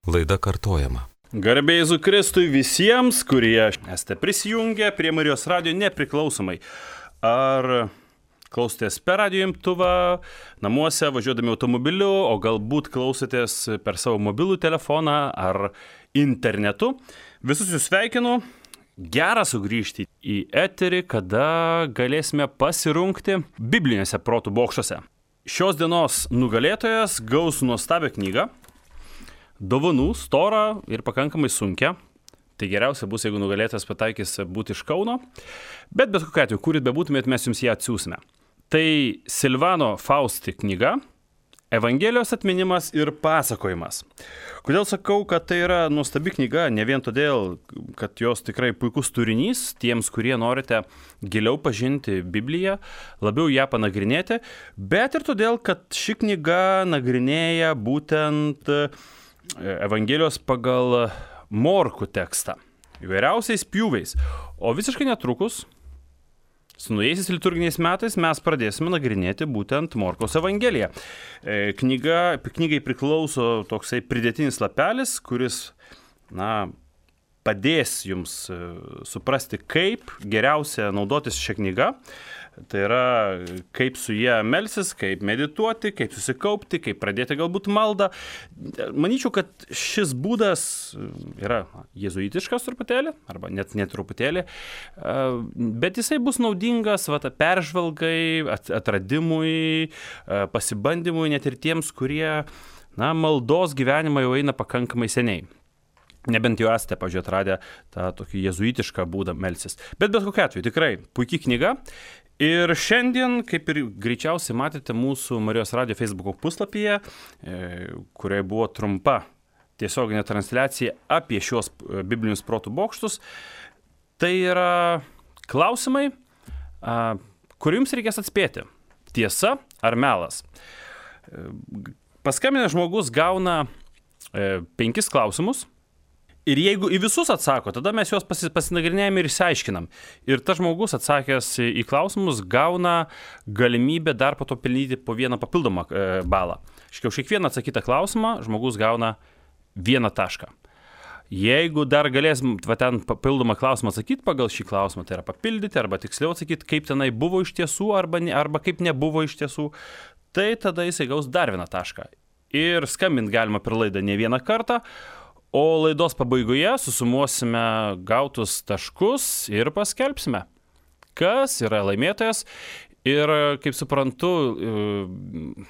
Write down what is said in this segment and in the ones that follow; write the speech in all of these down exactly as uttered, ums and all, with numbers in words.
Laida kartojama. Garbė Jėzui Kristui visiems, kurie esate prisijungę prie Marijos radijo nepriklausomai. Ar klausotės per radijo imtuvą, namuose, važiuodami automobiliu, o galbūt klausotės per savo mobilų telefoną ar internetu. Visus jūs sveikinu. Gera sugrįžti į eterį, kada galėsime pasirungti bibliniuose protų bokštuose. Šios dienos nugalėtojas gaus nuostabią knygą. Dovanų, storą ir pakankamai sunkia. Tai geriausia bus, jeigu nugalėtas pataikys būti iš Kauno. Bet bet kokiu atveju, kuris bebūtumėt, mes jums ją atsiųsime. Tai Silvano Fausti knyga Evangelijos atminimas ir pasakojimas. Kodėl sakau, kad tai yra nuostabi knyga? Ne vien todėl, kad jos tikrai puikus turinys tiems, kurie norite giliau pažinti Bibliją, labiau ją panagrinėti, bet ir todėl, kad ši knyga nagrinėja būtent Evangelijos pagal Morkų tekstą, įvairiausiais pjūviais. O visiškai netrukus, su naujaisiais liturginiais metais, mes pradėsime nagrinėti būtent Morkaus Evangeliją. Knyga, knygai priklauso toksai pridėtinis lapelis, kuris, na, padės jums suprasti, kaip geriausia naudotis šią knygą. Tai yra, kaip su jie melsis, kaip medituoti, kaip susikaupti, kaip pradėti galbūt maldą. Manyčiau, kad šis būdas yra jėzuitiškas truputėlį, arba net net truputėlį, bet jisai bus naudingas va, peržvalgai, atradimui, pasibandymui, net ir tiems, kurie, na, maldos gyvenimą jau eina pakankamai seniai. Nebent jau esate, pažiūrėjau, atradę tą tokį jėzuitišką būdą melsis. Bet bet kokiu atveju, tikrai puikiai knyga. Ir šiandien, kaip ir greičiausiai matėte mūsų Marijos radijo Facebook'o puslapyje, kurioje buvo trumpa tiesioginė transliacija apie šios biblinius protų bokštus, tai yra klausimai, kur jums reikės atspėti. Tiesa ar melas? Paskambinęs žmogus gauna penkis klausimus. Ir jeigu į visus atsako, tada mes juos pasinagrinėjame ir išsiaiškinam. Ir tas žmogus atsakęs į klausimus gauna galimybę dar po to pelnyti po vieną papildomą balą. Škiau, už kiekvieną atsakytą klausimą žmogus gauna vieną tašką. Jeigu dar galės va, ten papildomą klausimą atsakyti pagal šį klausimą, tai yra papildyti arba tiksliau atsakyti, kaip tenai buvo iš tiesų arba, ne, arba kaip nebuvo iš tiesų, tai tada jisai gaus dar vieną tašką. Ir skambint galima per laidą ne vieną kartą. O laidos pabaigoje susumuosime gautus taškus ir paskelbsime, kas yra laimėtojas. Ir, kaip suprantu,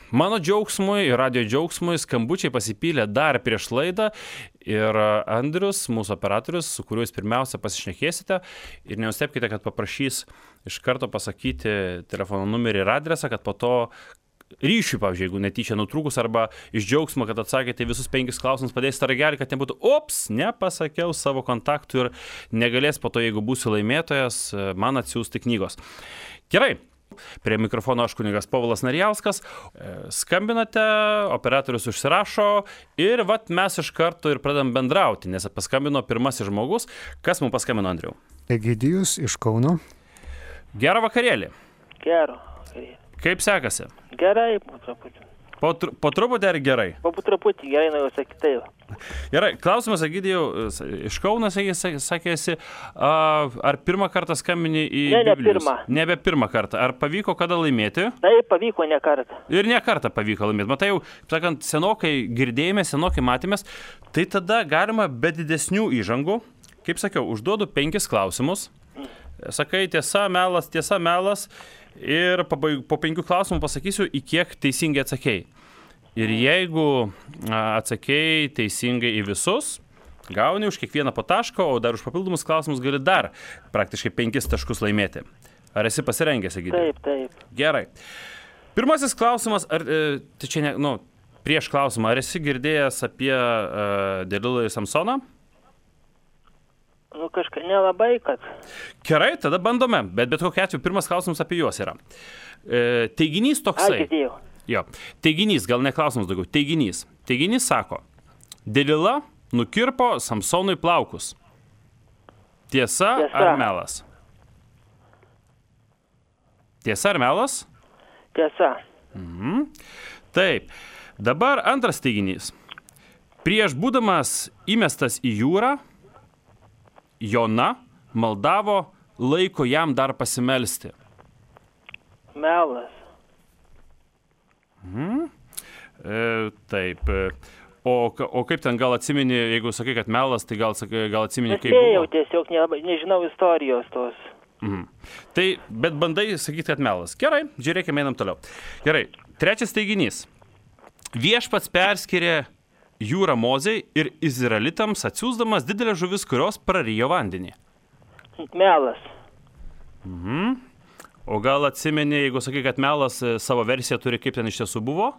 mano džiaugsmui ir radijo džiaugsmui skambučiai pasipylė dar prieš laidą. Ir Andrius, mūsų operatorius, su kuriuo jūs pirmiausia pasišnekėsite. Ir nenustebkite, kad paprašys iš karto pasakyti telefono numerį ir adresą, kad po to ryšiui, pavyzdžiui, jeigu netyčia nutrūkus arba iš džiaugsmo, kad atsakėte visus penkis klausimus, padėsite ragelį, kad nebūtų, ops, nepasakiau savo kontaktų ir negalės po to, jeigu būsiu laimėtojas, man atsiųsti knygos. Gerai, prie mikrofono aš kunigas Povilas Narijauskas, skambinate, operatorius užsirašo ir vat mes iš karto ir pradam bendrauti, nes paskambino pirmasis žmogus. Kas mums paskambino, Andriau? Egidijus iš Kauno. Gerą vakarėlį. Gerą. Kaip sekasi? Gerai, po truputį. Po, tr po truputį ar gerai? Po truputį, gerai, na jau sakytai. Gerai, klausimas, Egidijau, iš Kauno, sakėsi, ar pirmą kartą skambini į ne, ne Biblijos? pirmą. Nebe pirmą kartą. Ar pavyko kada laimėti? Taip, pavyko ne kartą. Ir ne kartą pavyko laimėti. Matai, jau, sakant, senokai girdėjome, senokai matėmės, tai tada galima be didesnių įžangų, kaip sakiau, užduodu penkis klausimus. Sakai, tiesa, melas, tiesa, melas. Ir po penkių klausimų pasakysiu, į kiek teisingai atsakėjai. Ir jeigu atsakėjai teisingai į visus, gauni už kiekvieną po tašką, o dar už papildomus klausimus gali dar praktiškai penkis taškus laimėti. Ar esi pasirengęs, Egidijau? Taip, taip. Gerai. Pirmasis klausimas, ar, tai čia ne, nu, prieš klausimą, ar esi girdėjęs apie uh, Delilą ir Samsoną? Nu, kažką nelabai, kad. Gerai, tada bandome, bet bet kokiu atveju pirmas klausimas apie juos yra. E, teiginys toksai. Girdėjau. Jo, teiginys, gal ne klausimas daugiau, teiginys. Teiginys sako, Delila nukirpo Samsonui plaukus. Tiesa, Tiesa. ar melas? Tiesa ar melas? Tiesa. Mhm. Taip, dabar antras teiginys. Prieš būdamas įmestas į jūrą, Jona maldavo laiko jam dar pasimelsti. Melas. Mhm. E, taip. O, o kaip ten gal atsimeni, jeigu sakai, kad melas, tai gal, gal atsimeni, kaip Nespėjau, buvo? tiesiog nelabai, nežinau istorijos tos. Mhm. Tai, bet bandai sakyti, kad melas. Gerai, žiūrėkime, einam toliau. Gerai, trečias teiginys. Viešpats perskyrė jūrą Mozei ir izraelitams atsiųsdamas didelę žuvis, kurios prarijo vandenį. Melas. Mhm. O gal atsimeni, jeigu sakai, kad melas e, savo versiją turi, kaip ten iš tiesų buvo?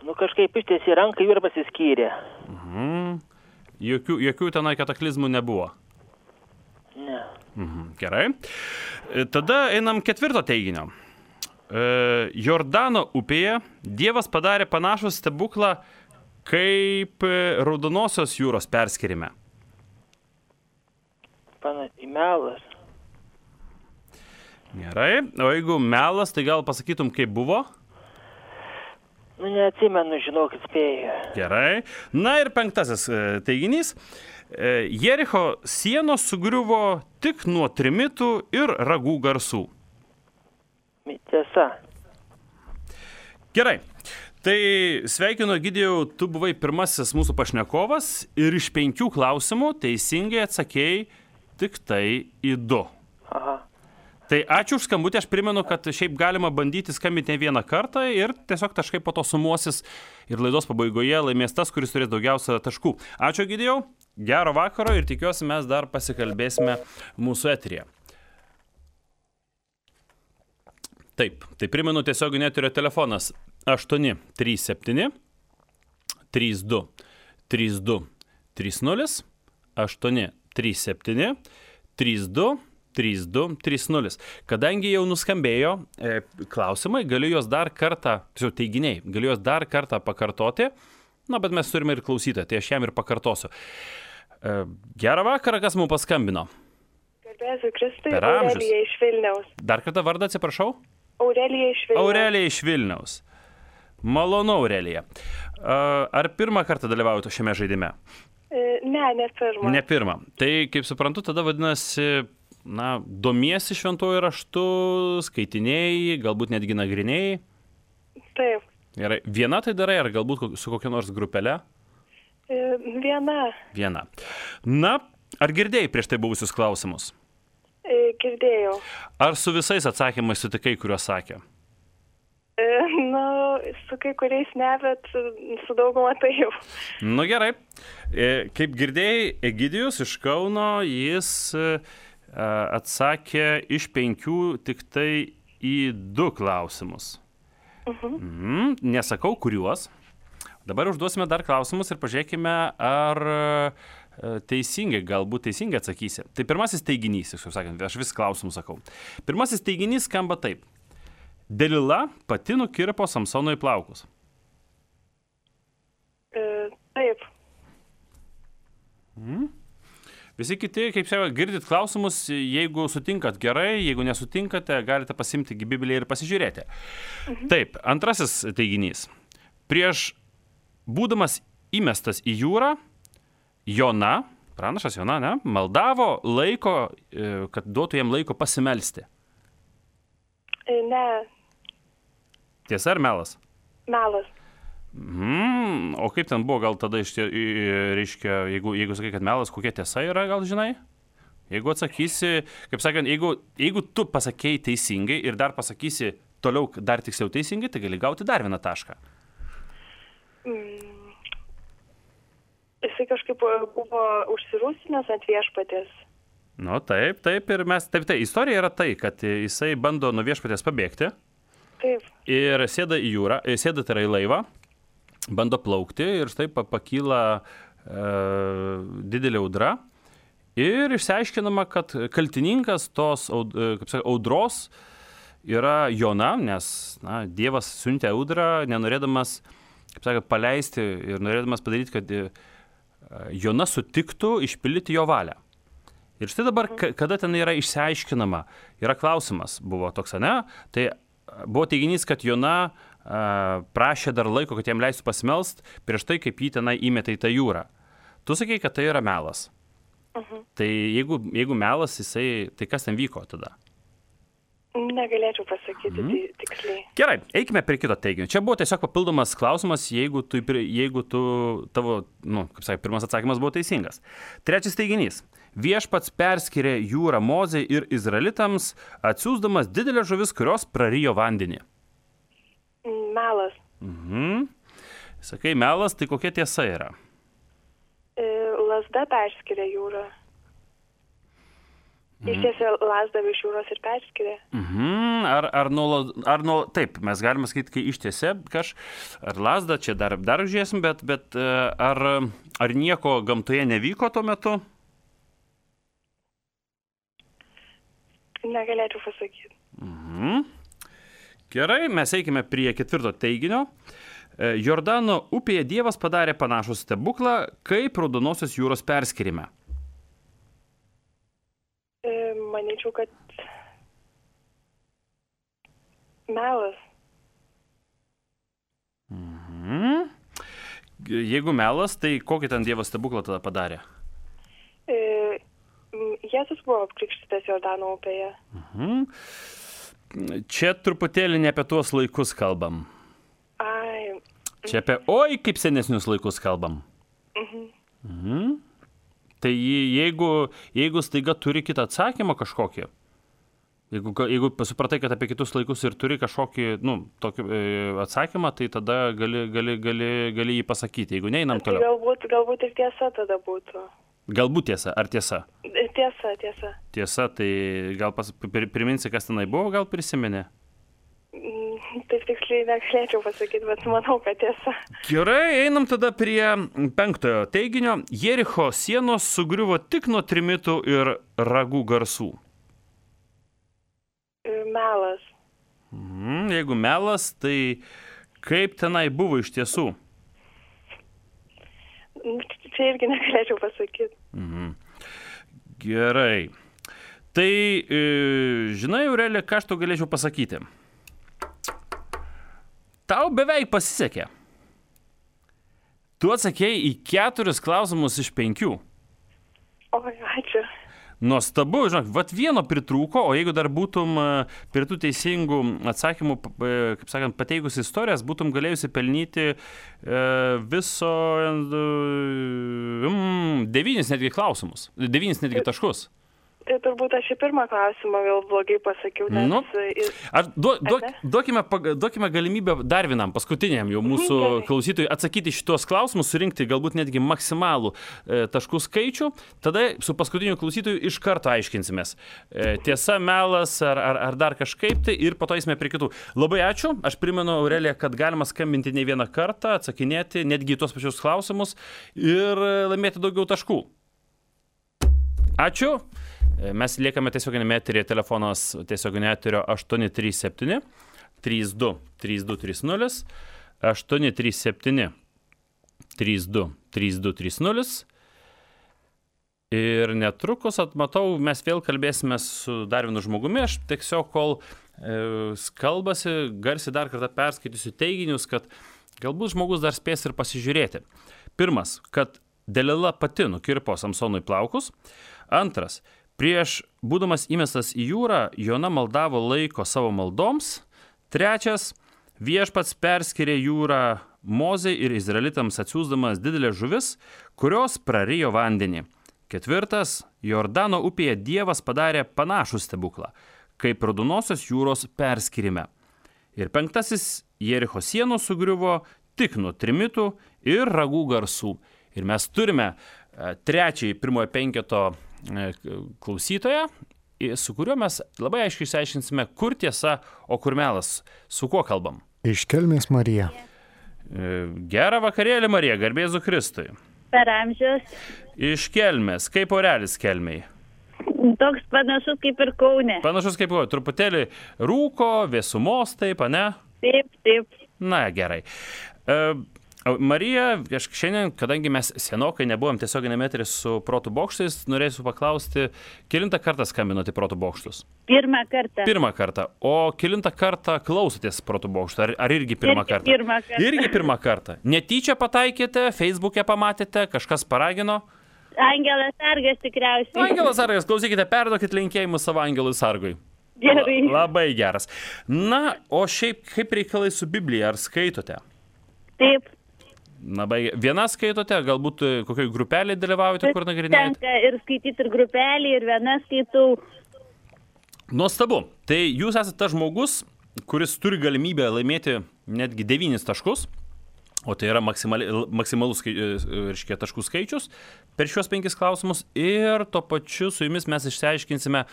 Nu kažkaip ištiesi ranką ir pasiskyrė. Mhm. Jokių, jokių tenai kataklizmų nebuvo. Ne. Mhm. Gerai. E, Tada einam ketvirto teiginio. E, Jordano upėje Dievas padarė panašų stebuklą kaip e, Raudonosios jūros perskyrime. Pana, melas. Gerai. O jeigu melas, tai gal pasakytum, kaip buvo? Nu neatsimenu, žinokit, spėjau. Gerai. Na ir penktasis e, teiginys. E, Jericho sienos sugriuvo tik nuo trimitų ir ragų garsų. Tiesa. Gerai. Tai sveikinu, Egidijau, tu buvai pirmasis mūsų pašnekovas ir iš penkių klausimų teisingai atsakėjai tik tai į du. Aha. Tai ačiū už skambutį, aš primenu, kad šiaip galima bandyti skambinti ne vieną kartą ir tiesiog taškai po to sumuosis ir laidos pabaigoje laimės tas, kuris turės daugiausia taškų. Ačiū, Egidijau, gero vakaro ir tikiuosi mes dar pasikalbėsime mūsų eteryje. Taip, tai primenu tiesioginio eterio telefonas aštuoni trys septyni trys du trys du trys nulis aštuoni trys septyni trys du trys du trys nulis. Kadangi jau nuskambėjo e, klausimai, galiu juos dar kartą, tiesiog teiginiai, galiu juos dar kartą pakartoti, na, bet mes turime ir klausytoją, tai aš jam ir pakartosiu. E, gerą vakarą, kas mums paskambino? Garbėsiu Kristui, Per amžius. Aurelija iš Vilniaus. Dar kartą vardą atsiprašau? Aurelija iš Vilniaus. Aurelija iš Vilniaus. Malonu, Aurelija. E, ar pirmą kartą dalyvaujate šiame žaidime? E, Ne, ne pirmą. Ne pirmą. Tai, kaip suprantu, tada vadinasi, na, domiesi šventuoju raštu, skaitinėjai, galbūt netgi nagrinėjai. Taip. Gerai. Viena tai darai, ar galbūt ko- su kokia nors grupele? E, Viena. Viena. Na, ar girdėjai prieš tai buvusius klausimus? E, Girdėjau. Ar su visais atsakymais sutikai, kuriuos sakė? E, Nu, su kai kuriais ne, bet su dauguma tai jau. Nu gerai. E, Kaip girdėjai, Egidijus iš Kauno, jis e, atsakė iš penkių tik tai į du klausimus. Mhm. Nesakau, kuriuos. Dabar užduosime dar klausimus ir pažiūrėkime, ar e, teisingai, galbūt teisingai atsakysi. Tai pirmasis teiginys, kaip sakant, aš vis klausimus sakau. Pirmasis teiginys skamba taip. Delila pati nukirpo Samsonui plaukus. E, Taip. Visi kiti, kaip sakė, girdit klausimus, jeigu sutinkat gerai, jeigu nesutinkate, galite pasimti Bibliją ir pasižiūrėti. Taip, antrasis teiginys. Prieš būdamas įmestas į jūrą, Jona, pranašas Jona, ne, maldavo laiko, e, kad duotų jam laiko pasimelsti. E, Ne, Tiesa ar melas? melas. Mm, o kaip ten buvo, gal tada iš tie, i- reiškia, jeigu, jeigu sakai, kad melas, kokia tiesa yra, gal žinai? Jeigu atsakysi, kaip sakant, jeigu, jeigu tu pasakėjai teisingai ir dar pasakysi toliau dar tiksliau teisingai, tai gali gauti dar vieną tašką. Mm. Jisai kažkaip buvo užsirūstinęs ant viešpatės. Nu, taip, taip, ir mes, taip, tai istorija yra tai, kad jisai bando nuo viešpatės pabėgti Taip. ir sėda į jūrą, e, sėda tai yra į laivą, bando plaukti ir štai pa- pakyla e, didelė audra ir išsiaiškinama, kad kaltininkas tos aud, e, kaip sakai, audros yra Jona, nes na, Dievas siuntė audrą, nenorėdamas, kaip sakė, paleisti ir norėdamas padaryti, kad e, Jona sutiktų išpildyti jo valią. Ir štai dabar, ka- kada ten yra išsiaiškinama, yra klausimas, buvo toks, ne? Tai buvo teiginys, kad Jona prašė dar laiko, kad jam leistų pasimelst prieš tai, kaip jį tenai įmetė į tą jūrą. Tu sakei, kad tai yra melas. Mhm. Tai jeigu, jeigu melas, jisai, tai kas ten vyko tada? Negalėčiau pasakyti Mhm. tai tiksliai. Gerai, eikime prie kito teiginio. Čia buvo tiesiog papildomas klausimas, jeigu tu, jeigu tu tavo, nu, kaip sakai, pirmas atsakymas buvo teisingas. Trečias teiginys. Viešpats perskyrė jūrą Mozei ir Izraelitams, atsiųsdamas didelę žuvis, kurios prarijo vandenį. Melas. Mhm. Sakai, melas, tai kokia tiesa yra? E, Lazda perskiria jūrą. Ištiesė lazdą iš jūros ir perskiria. Mhm. Ar, ar, nuo, ar nuo, taip, mes galime sakyti, kai ištiesė kaž, ar lazdą, čia dar, dar žiūrėsim, bet, bet ar, ar nieko gamtoje nevyko tuo metu? Negalėčiau pasakyti. Mhm. Gerai, mes eikime prie ketvirto teiginio. Jordano upėje Dievas padarė panašų stebuklą, kaip Raudonosios jūros perskyrime. E, manyčiau, kad melas. Mhm. Jeigu melas, tai kokį ten Dievas stebuklą tada padarė? E, Jėzus buvo apkrikštytas Jordano upėje. Mhm. Čia truputėlį ne apie tuos laikus kalbam. Ai. Čia apie, oi, kaip senesnius laikus kalbam. Mhm. Mhm. Tai jeigu, jeigu staiga turi kitą atsakymą kažkokį, jeigu, jeigu supratai, kad apie kitus laikus ir turi kažkokį, nu, tokį e, atsakymą, tai tada gali, gali, gali, gali jį pasakyti, jeigu neinam Tai toliau. galbūt, galbūt ir tiesa tada būtų. Galbūt tiesa, ar tiesa? Tiesa, tiesa. Tiesa, tai gal pas, priminsi, kas tenai buvo, gal prisimeni? Taip tiksliai negalėčiau pasakyti, bet manau, kad tiesa. Gerai, einam tada prie penktojo teiginio. Jericho sienos sugriuvo tik nuo trimitų ir ragų garsų. Melas. Mhm, jeigu melas, tai kaip tenai buvo iš tiesų? Čia irgi negalėčiau pasakyti. Mhm. Gerai. Tai, e, žinai, Aurelija, ką aš tau galėčiau pasakyti? Tau beveik pasisekė. Tu atsakėjai į keturis klausimus iš penkių. Oi, ačiū. Nuostabu, žinok, vat vieno pritrūko, o jeigu dar būtum prie tų teisingų atsakymų, kaip sakant, pateikus istorijas, būtum galėjusi pelnyti e, viso mm, devynis netgi klausimus, devynis netgi taškus. Tai turbūt aš į pirmą klausimą gal blogai pasakiau, nes... Nu, ar duo, duok, duokime, duokime galimybę dar vienam, paskutiniam jau mūsų Gerai. klausytojui atsakyti šitos klausimus, surinkti galbūt netgi maksimalų e, taškų skaičių, tada su paskutiniu klausytoju iš karto aiškinsimės. E, tiesa, melas ar, ar, ar dar kažkaip tai ir po to eisime prie kitų. Labai ačiū, aš primenu, Aurelija, kad galima skambinti ne vieną kartą, atsakinėti netgi į tuos pačius klausimus ir laimėti daugiau taškų. Ačiū. Mes liekame tiesioginėme eteryje, telefonas tiesioginio eterio aštuoni trys septyni trys du trys du trys nulis, aštuoni trys septyni trys du trys du trys nulis. Ir netrukus, atmatau, mes vėl kalbėsime su dar vienu žmogumi. Aš tiesiog, kol e, kalbasi, garsiai dar kartą perskaitysiu teiginius, kad galbūt žmogus dar spės ir pasižiūrėti. Pirmas, kad Delila pati nukirpo Samsonui plaukus. Antras, prieš būdamas įmestas į jūrą, Jona maldavo laiko savo maldoms. Trečias, viešpats perskyrė jūrą Mozei ir Izraelitams atsiųsdamas didelę žuvis, kurios prarijo vandenį. Ketvirtas, Jordano upėje Dievas padarė panašų stebuklą, kaip Raudonosios jūros perskyrime. Ir penktasis, Jericho sienos sugriuvo tik nuo trimitų ir ragų garsų. Ir mes turime trečiąjį pirmojo penketo klausytoją, su kuriuo mes labai aiškiai išsiaiškinsime, kur tiesa, o kur melas. Su kuo kalbam? Iš Kelmės Marija. Gerą vakarėlį, Marija, garbė Jėzui Kristui. Per amžius. Iš Kelmės. Kaip orelis Kelmėj? Toks panašus kaip ir Kaune. Panašus kaip Kaune. Truputėlį rūko, vėsumos, taip, ane? Taip, taip. Na, gerai. Marija, aš šiandien, kadangi mes senokai nebuvom tiesioginėme eteryje su Protų bokštais, norėsiu paklausti, kelintą kartą skambinote į Protų bokštus? Pirmą kartą. Pirmą kartą. O kelintą kartą klausotės Protų bokštų? Ar, ar irgi pirmą Irgi kartą? pirmą kartą. Irgi pirmą kartą. Netyčia pataikėte, Facebook'e pamatėte, kažkas paragino? Angelas Sargas tikriausiai. Angelas Sargas, klausykite, perduokit linkėjimus savo Angelui Sargui. Gerai. La, labai geras. Na, o šiaip kaip reikalai su Biblija, ar skaitote? Taip. Labai, viena skaitote, galbūt kokioj grupelėje dalyvaujate, kur nagrinėjate? Tenka ir skaityti ir grupelį, ir viena skaitau. Nuostabu. Tai jūs esate tas žmogus, kuris turi galimybę laimėti netgi devynis taškus, o tai yra maksimalus reiškia, taškų skaičius per šios penkis klausimus, ir tuo pačiu su jumis mes išsiaiškinsime,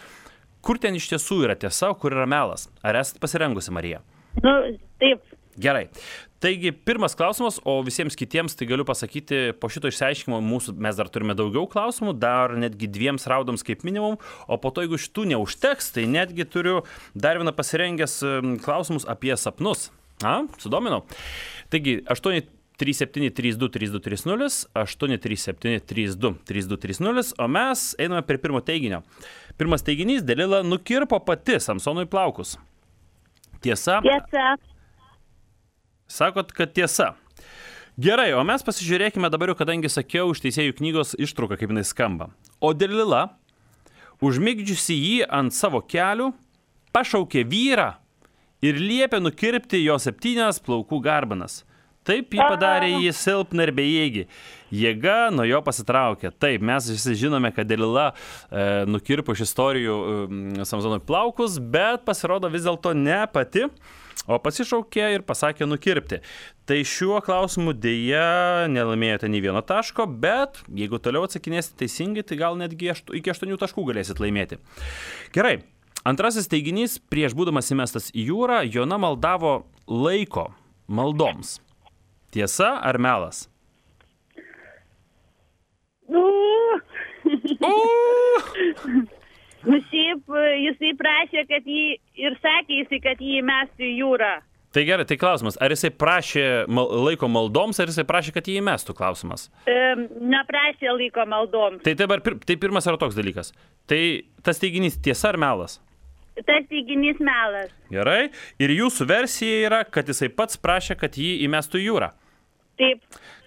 kur ten iš tiesų yra tiesa, kur yra melas. Ar esate pasirengusi, Marija? Nu, taip. Gerai. Taigi, pirmas klausimas, o visiems kitiems, tai galiu pasakyti, po šito išsiaiškimo mūsų, mes dar turime daugiau klausimų, dar netgi dviems raudams kaip minimum, o po to, jeigu šitų neužteks, tai netgi turiu dar vieną pasirengęs klausimus apie sapnus. A, sudominau. Taigi, aštuoni trys septyni trys du trys du trys nulis, aštuoni trys septyni trys du trys du trys nulis, o mes einame prie pirmo teiginio. Pirmas teiginys, Delila nukirpo pati Samsonui plaukus. Tiesa? Tiesa. Sakot, kad tiesa. Gerai, o mes pasižiūrėkime dabar jau, kadangi sakiau iš Teisėjų knygos ištrauką, kaip jinai skamba. O Delila, užmigdžiusi jį ant savo kelių, pašaukė vyrą ir liepė nukirpti jo septynias plaukų garbanas. Taip jį padarė jį silpną ir bejėgį. Jėga nuo jo pasitraukė. Taip, mes visi žinome, kad Delila e, nukirpo iš istorijų e, Samsonui plaukus, bet pasirodo vis dėlto ne pati, o pasišaukė ir pasakė nukirpti. Tai šiuo klausimu dėja nelaimėjote nei vieno taško, bet jeigu toliau atsakinėsite teisingai, tai gal netgi aštu, iki aštuonių taškų galėsit laimėti. Gerai, antrasis teiginys, prieš būdamas įmestas į jūrą, Jona maldavo laiko maldoms. Tiesa ar melas? Nu. Uh! Nu, šiaip jisai prašė, kad jį ir sakė jisai, kad jį įmestų į jūrą. Tai gerai, tai klausimas, ar jisai prašė mal, laiko maldoms, ar jisai prašė, kad jį įmestų, klausimas? E, neprašė laiko maldoms. Tai dabar, tai pirmas yra toks dalykas. Tai tas teiginys tiesa ar melas? Tas teiginys melas. Gerai, ir jūsų versija yra, kad jisai pats prašė, kad jį įmestų į jūrą. Taip.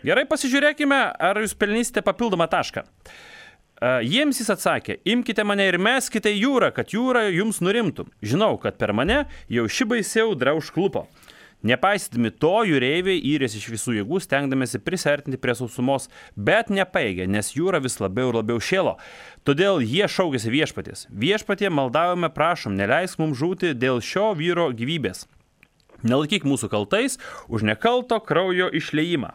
Gerai, pasižiūrėkime, ar jūs pelnysite papildomą tašką. Uh, jiems jis atsakė, imkite mane ir meskite į jūrą, kad jūra jums nurimtų. Žinau, kad per mane jau ši baisi audra užklupo. Nepaisydami to, jūreiviai yrės iš visų jėgų, stengdamėsi prisartinti prie sausumos, bet nepaėgė, nes jūra vis labiau ir labiau šėlo. Todėl jie šaukėsi viešpaties. Viešpatie, maldavome, prašom, neleisk mums žūti dėl šio vyro gyvybės. Nelaikyk mūsų kaltais už nekalto kraujo išliejimą,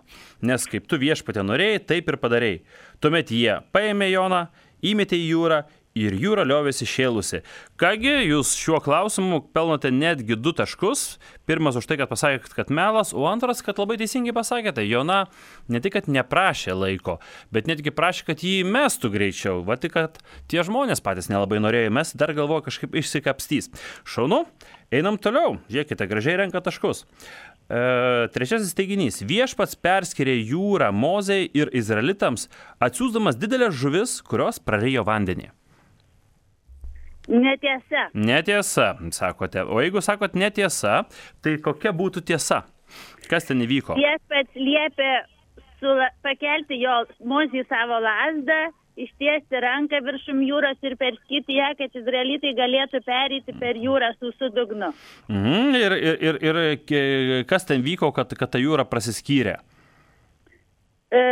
nes kaip tu viešpatė norėjai, taip ir padarėjai. Tuomet jie paėmė Joną, įmetė į jūrą ir jūra liovėsi šėlusi. Kągi, jūs šiuo klausimu pelnote netgi du taškus. Pirmas už tai, kad pasakėt, kad melas, o antras, kad labai teisingai pasakėte. Jona ne tik, kad neprašė laiko, bet netgi prašė, kad jį mestų greičiau. Va tik, kad tie žmonės patys nelabai norėjo mesti, dar galvoja kažkaip išsikapstys. Šaunu, einam toliau. Žiūrėkite, gražiai renka taškus. E, trečiasis teiginys. Viešpats perskyrė jūrą Mozei ir Izraelitams, atsiųsdamas didelės žuvis, kurios prarijo vandenį. Netiesa. Netiesa, sakote. O jeigu sakot netiesa, tai kokia būtų tiesa? Kas ten įvyko? Viešpats liepė sula, pakelti jo Mozei savo lazdą, ištiesti ranką viršum jūros ir perskyti ją, kad izraelitai galėtų pereiti per jūrą su sudugnu. Mhm, ir, ir, ir, ir kas ten vyko, kad, kad ta jūra prasiskyrė? E,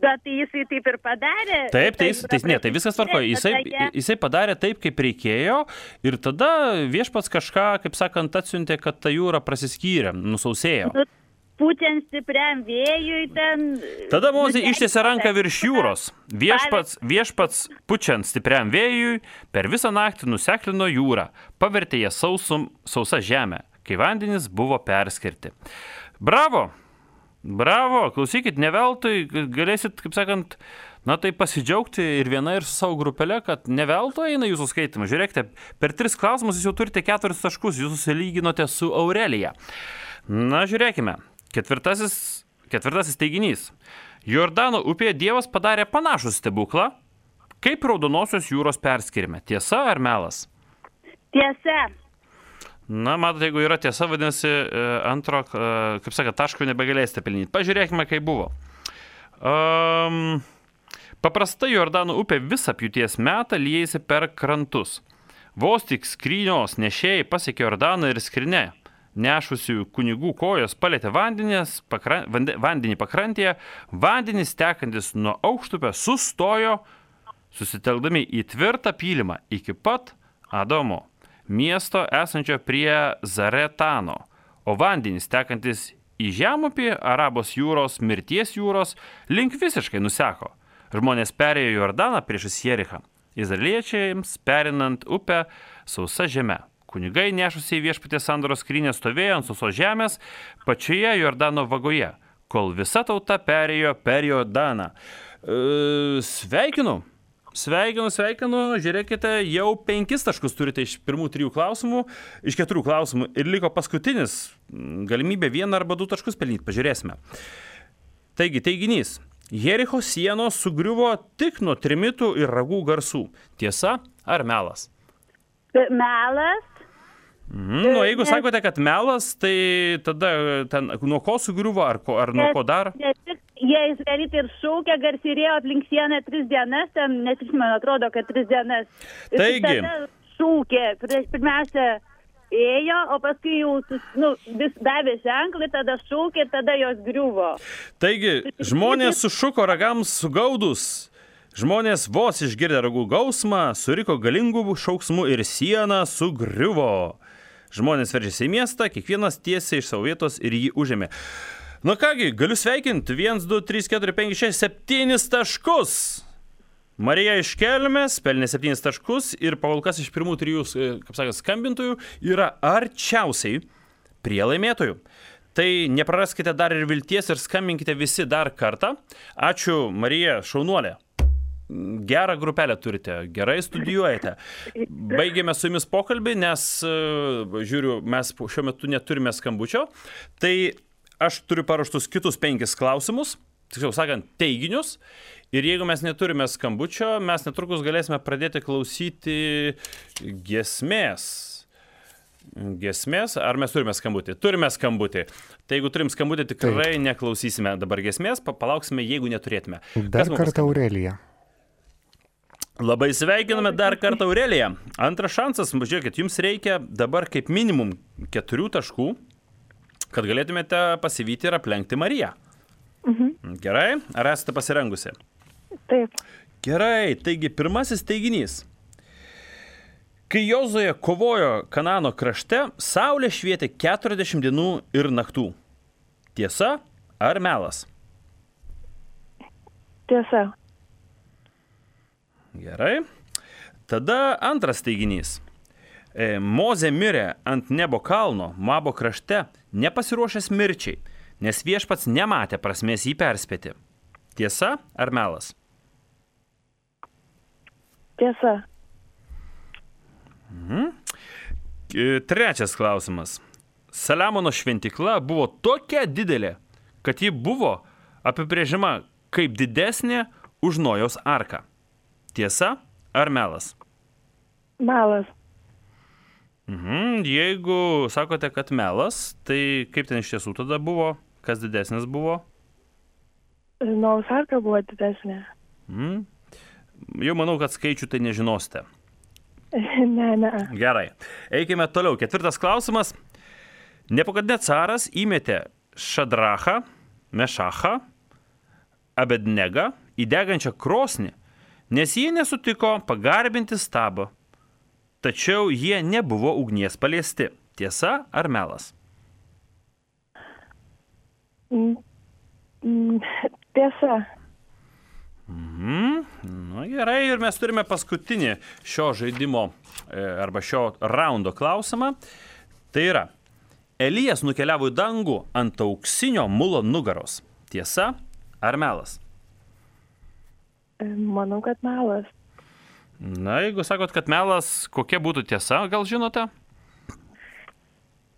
bet tai jisai taip ir padarė. Taip, tai, tai, ne, tai viskas tvarkoja. Jisai, jisai padarė taip, kaip reikėjo, ir tada viešpats kažką, kaip sakant, atsiuntė, kad ta jūra prasiskyrė, nusausėjo. Nu, pučiant stipriam vėjui ten... Tada Mozė ištiesė ranką virš jūros. Viešpats, viešpats pučiant stipriam vėjui per visą naktį nuseklino jūrą, pavertė ją sausum, sausa žemę, kai vandenys buvo perskirti. Bravo! Bravo, klausykit, ne veltui galėsit, kaip sakant, na tai pasidžiaugti ir viena ir su savo grupelė, kad ne veltui eina jūsų skaitimas. Žiūrėkite, per tris klausimus jūs jau turite keturis taškus, jūs susilyginote su Aurelija. Na, žiūrėkime, Ketvirtasis, ketvirtasis teiginys. Jordano upėje Dievas padarė panašų stebuklą, kaip Raudonosios jūros perskirime. Tiesa ar melas? Tiesa. Na, matote, jeigu yra tiesa, vadinasi, antro, kaip sakė, taško nebegalėsite pelnyti. Pažiūrėkime, kaip buvo. Um, paprastai Jordano upė visą pjūties metą liejasi per krantus. Vos tik skrynios nešėjai pasiekė Jordaną ir skrinę. Nešusių kunigų kojos palėtė vandenės, pakran, vande, vandenį pakrantėje, vandenys tekantis nuo aukštupio sustojo, susitelkdami į tvirtą pylimą iki pat Adomo miesto esančio prie Zaretano, o vandenys tekantis į žemupį Arabos jūros, mirties jūros, link visiškai nuseko. Žmonės perėjo Jordaną priešais Jerichą, izraeliečiams perinant upę sausa žeme. Kunigai nešusiai viešpaties sandoros skrynią stovėjo ant sausos žemės pačioje Jordano vagoje, kol visa tauta perėjo per Jordaną. E, sveikinu! Sveikinu, sveikinu, žiūrėkite, jau penkis taškus turite iš pirmų trijų klausimų, iš keturių klausimų ir liko paskutinis, galimybė vieną arba du taškus pelnyti, pažiūrėsime. Taigi, teiginys, Jericho sienos sugriuvo tik nuo trimitų ir ragų garsų. Tiesa ar melas? Melas. Mhm, nu, jeigu sakote, kad melas, tai tada ten, nuo ko sugriuvo, ar, ko, ar nuo ko dar? Ne tik jie izraelitai ir šaukia, garsyrėjo aplink sieną tris dienas, ten, net man atrodo, kad tris dienas. Ir taigi. tada šaukė, prieš pirmiausia ėjo, o paskui jau nu, vis davė ženklį, tada šaukė, tada jos griuvo. Taigi, žmonės sušuko ragams sugaudus. Žmonės vos išgirdę ragų gausmą, suriko galingų šauksmų ir siena sugriuvo. Žmonės veržėsi į miestą, kiekvienas tiesiai iš savo vietos ir jį užėmė. Na kągi, galiu sveikinti. vienas, du, trys, keturi, penki, šeši, septynis taškus. Marija iš Kelmės pelnė septynis taškus ir pakolkas iš pirmų trijų, kaip sakė, skambintojų yra arčiausiai prie laimėtojų. Tai nepraraskite dar ir vilties ir skambinkite visi dar kartą. Ačiū, Marija, šaunuolė. Gerą grupelę turite, gerai studijuojate. Baigėme su jumis pokalbį, nes, žiūriu, mes šiuo metu neturime skambučio. Tai aš turiu paruoštus kitus penkis klausimus, tiksliau sakant, teiginius. Ir jeigu mes neturime skambučio, mes netrukus galėsime pradėti klausyti giesmės. Giesmės, ar mes turime skambutį? Turime skambutį. Tai jeigu turim skambutį, tikrai Taip. neklausysime dabar giesmės, palauksime, jeigu neturėtume. Dar kartą Aurelija. Labai sveikiname dar kartą Aureliją. Antras šansas, žiūrėkit, jums reikia dabar kaip minimum keturių taškų, kad galėtumėte pasivyti ir aplenkti Mariją. Mhm. Gerai, ar esate pasirengusi? Taip. Gerai, taigi pirmasis teiginys. Kai Jozuė kovojo Kanano krašte, saulė švietė keturiasdešimt dienų ir naktų. Tiesa ar melas? Tiesa. Gerai. Tada antras teiginys. E, Mozė mirė ant Nebo kalno, Moabo krašte, nepasiruošęs mirčiai, nes viešpats nematė prasmės jį perspėti. Tiesa ar melas? Tiesa. Mhm. Trečias klausimas. Saliamono šventykla buvo tokia didelė, kad ji buvo apibrėžiama kaip didesnė už Nojaus arką. Tiesa ar melas? Melas. Mhm. Jeigu sakote, kad melas, tai kaip ten iš tiesų tada buvo? Kas didesnis buvo? Nojaus arka buvo didesnė. Mhm. Jau manau, kad skaičių tai nežinosite. Ne, ne. Gerai. Eikime toliau. Ketvirtas klausimas. Nebukadnecaras įmetė Šadrachą, Mešachą, Abednegą į degančią krosnį, nes jie nesutiko pagarbinti stabą. Tačiau jie nebuvo ugnies paliesti. Tiesa ar melas? Tiesa. Mhm. Nu, gerai, ir mes turime paskutinį šio žaidimo arba šio raundo klausimą. Tai yra, Elijas nukeliavo į dangų ant auksinio mulo nugaros. Tiesa ar melas? Manau, kad melas. Na, jeigu sakot, kad melas, kokia būtų tiesa, gal žinote?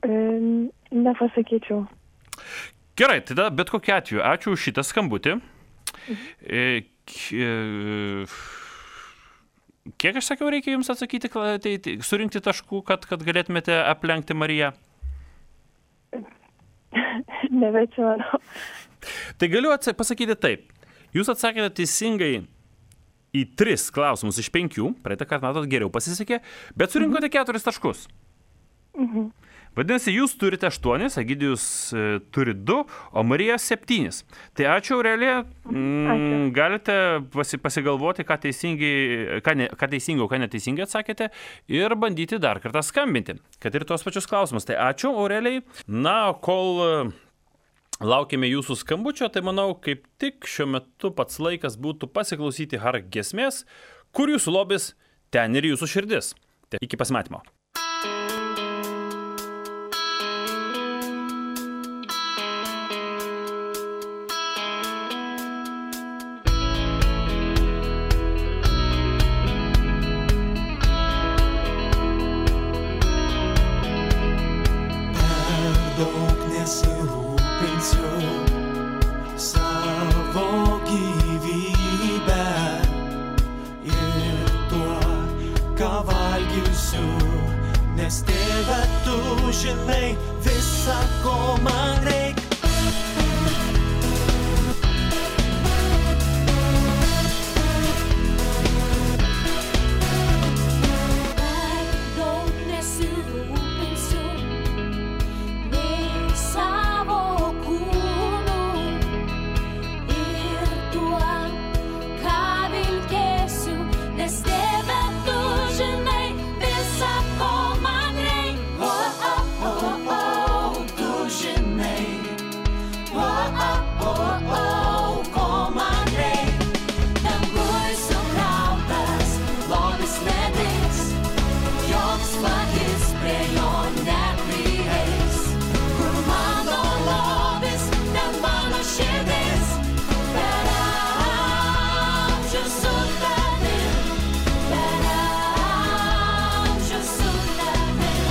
Nepasakyčiau. Gerai, tada bet kokiu atveju, ačiū už šitą skambutį. E, kiek aš sakiau, reikia jums atsakyti, tai, tai, surinkti taškų, kad, kad galėtumėte aplenkti Mariją? Nebeatsimenu. Tai galiu atsa- pasakyti taip. Jūs atsakėte teisingai į tris klausimus iš penkių, praeitą kartą matot geriau pasisekė, bet surinkote keturis taškus. Mhm. Vadinasi, jūs turite aštuonis, Egidijus e, turi du, o Marija septynis. Tai ačiū, Aurelija. Mm, Ačiū. galite pasi, pasigalvoti, ką teisingai, ką, ne, ką teisingai, o ką neteisingai atsakėte ir bandyti dar kartą skambinti, kad ir tos pačius klausimus. Tai ačiū, Aurelijai. Na, kol e, laukime jūsų skambučio, tai manau, kaip tik šiuo metu pats laikas būtų pasiklausyti Hark giesmės, kur jūsų lobis, ten ir jūsų širdis. Tai iki pasimatymo. Daug nesirūpinsiu savo gyvybę ir tuo, ką valgysiu, nes Tėve, tu žinai visą, ko man reik. Daug nesirūpinsiu nei savo kūnu ir tuo, ką vilkėsiu, nes Tėve, tu žinai visą, ko man reik. Oh, oh, oh, oh, tu žinai. Oh, oh, oh, oh, ko man reik. Danguj sukrautas lobis nedings, joks vagis prie jo neprieis. Kur mano lobis, ten mano širdis, per amžius su tavim, per amžius su tavim.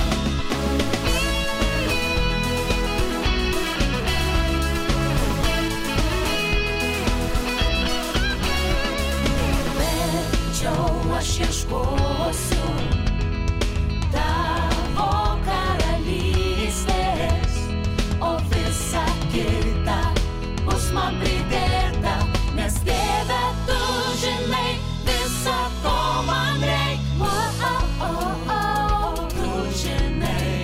Verčiau aš ieškosiu tavo karalystės, o visa kita bus man pridėta, nes Tėve, tu žinai visą, ko man reik. Oh, oh, oh, oh, tu žinai.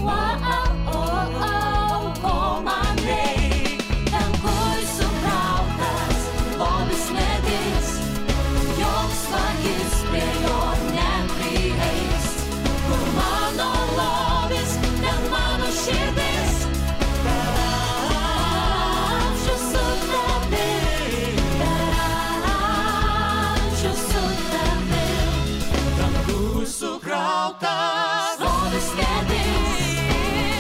Oh, oh, oh, oh, ko man reik. Danguj sukrautas lobis nedings, joks vagis prie jo neprieis. Kur mano lobis, ten mano širdis, per amžius su tavim, per amžius su tavim. Danguj sukrautas Lobis nedings,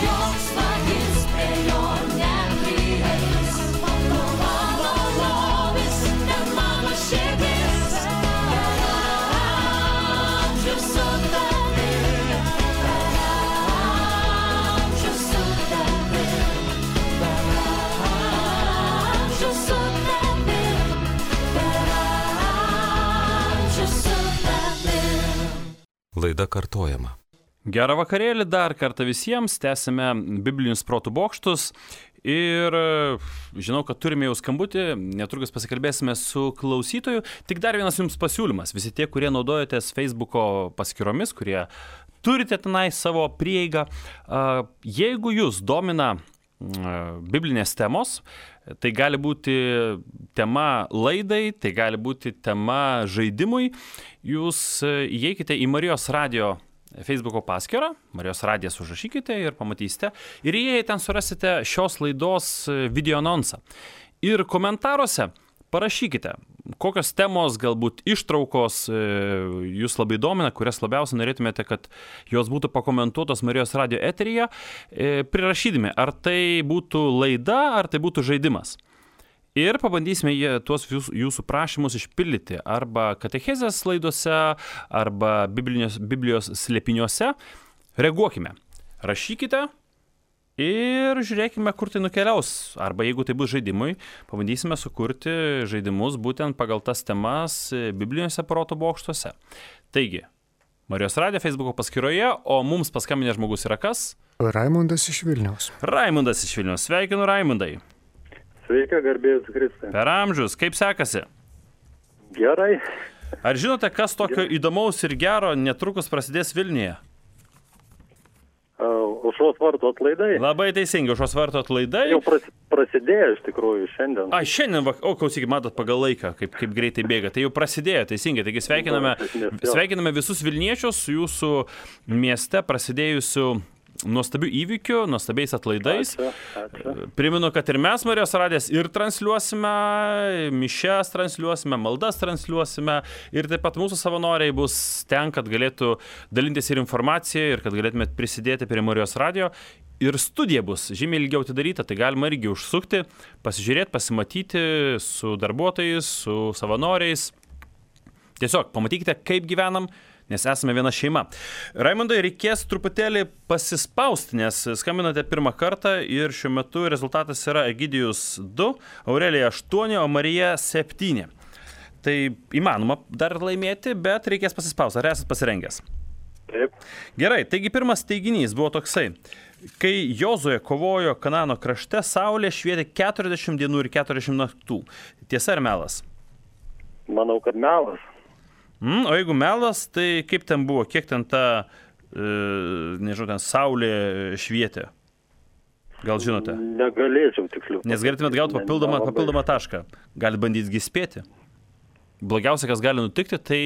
joks vagis prie jo neprieis. Kur mano lobis, ten mano širdis, per amžius su tavim, per amžius su tavim, per amžius su tavim, per amžius su tavim. Laida kartojama. Gerą vakarėlį dar kartą visiems, tęsime biblinius protų bokštus ir e, žinau, kad turime jau skambutį, netrukus pasikalbėsime su klausytoju. Tik dar vienas jums pasiūlymas, visi tie, kurie naudojatės Facebooko paskyromis, kurie turite tenai savo prieigą, a, jeigu jūs domina a, biblinės temos, tai gali būti tema laidai, tai gali būti tema žaidimui, jūs e, įeikite į Marijos radio Facebooko paskyrą, Marijos radijas užrašykite ir pamatysite. Ir jei ten surasite šios laidos video anonsą. Ir komentaruose parašykite, kokios temos, galbūt ištraukos jūs labai domina, kurias labiausiai norėtumėte, kad jos būtų pakomentuotos Marijos radio eteryje, prirašydami, ar tai būtų laida, ar tai būtų žaidimas. Ir pabandysime jie, tuos jūsų, jūsų prašymus išpildyti arba katechezės laidose, arba Biblijos, Biblijos slėpiniuose. Reaguokime. Rašykite Ir žiūrėkime, kur tai nukeliaus. Arba jeigu tai bus žaidimui, pabandysime sukurti žaidimus būtent pagal tas temas bibliniuose proto bokštuose. Taigi, Marijos radijo Facebooko paskyroje, o mums paskambinė žmogus yra kas? Raimundas iš Vilniaus. Raimundas iš Vilniaus. Sveikinu, Raimundai. Sveika, garbėjus Kristai. Per amžius, kaip sekasi? Gerai. Ar žinote, kas tokio įdomaus ir gero netrukus prasidės Vilniuje? Aušros vartų atlaidai. Labai teisingai, Aušros vartų atlaidai. Jau pras, prasidėjo iš tikrųjų šiandien. A, šiandien, va- o klausykit, matot pagal laiką, kaip, kaip greitai bėga. Tai jau prasidėjo, teisingai. Taigi sveikiname, sveikiname visus Vilniečius su jūsų mieste prasidėjusiu nuostabių įvykių, nuostabiais atlaidais. Ačiū, ačiū. Primenu, kad ir mes Marijos radijas ir transliuosime, mišias transliuosime, maldas transliuosime ir taip pat mūsų savanoriai bus ten, kad galėtų dalintis ir informaciją ir kad galėtumėt prisidėti prie Marijos radijo. Ir studija bus žymiai ilgiau atidaryta, tai galima irgi užsukti, pasižiūrėti, pasimatyti su darbuotojais, su savanoriais. Tiesiog pamatykite, kaip gyvenam, nes esame viena šeima. Raimundai, reikės truputėlį pasispausti, nes skambinate pirmą kartą ir šiuo metu rezultatas yra Egidijus du, Aurelija aštuoni, o Marija septyni. Tai įmanoma dar laimėti, bet reikės pasispausti. Ar esate pasirengęs? Taip. Gerai, taigi pirmas teiginys buvo toksai. Kai Jozuė kovojo Kanano krašte, saulė švietė keturiasdešimt dienų ir keturiasdešimt naktų. Tiesa ar melas? Manau, kad melas. Mm, o jeigu melas, tai kaip ten buvo, kiek ten ta, e, nežinau, ten saulė švietė? Gal žinote? Negalėčiau tiksliau. Nes galėtumėt gauti papildomą, Nelabai. papildomą tašką. Galit bandyti spėti. Blogiausia, kas gali nutikti, tai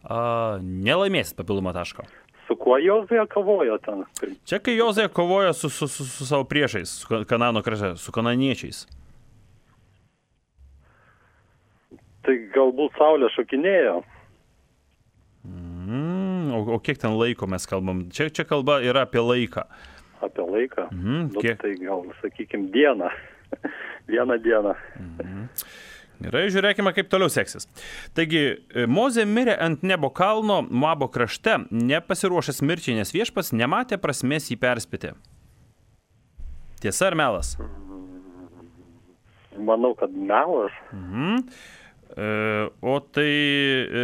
a, nelaimėsit papildomą tašką. Su kuo Jozuė kovojo ten? Čia kai Jozuė kovoja su, su, su, su savo priešais, su Kanano krašte, su kananiečiais. Tai galbūt saulė šokinėjo. Mm, o, o kiek ten laiko mes kalbam? Čia, čia kalba yra apie laiką. Apie laiką. Mhm, Nu, kiek? tai gal, sakykime, dieną. Vieną dieną. Gerai, žiūrėkime, kaip toliau seksis. Taigi, Mozė mirė ant Nebo kalno Moabo krašte, nepasiruošęs mirčiai, nes viešpats nematė prasmės jį perspėti. Tiesa ar melas? Manau, kad melas. Mhm. E, o tai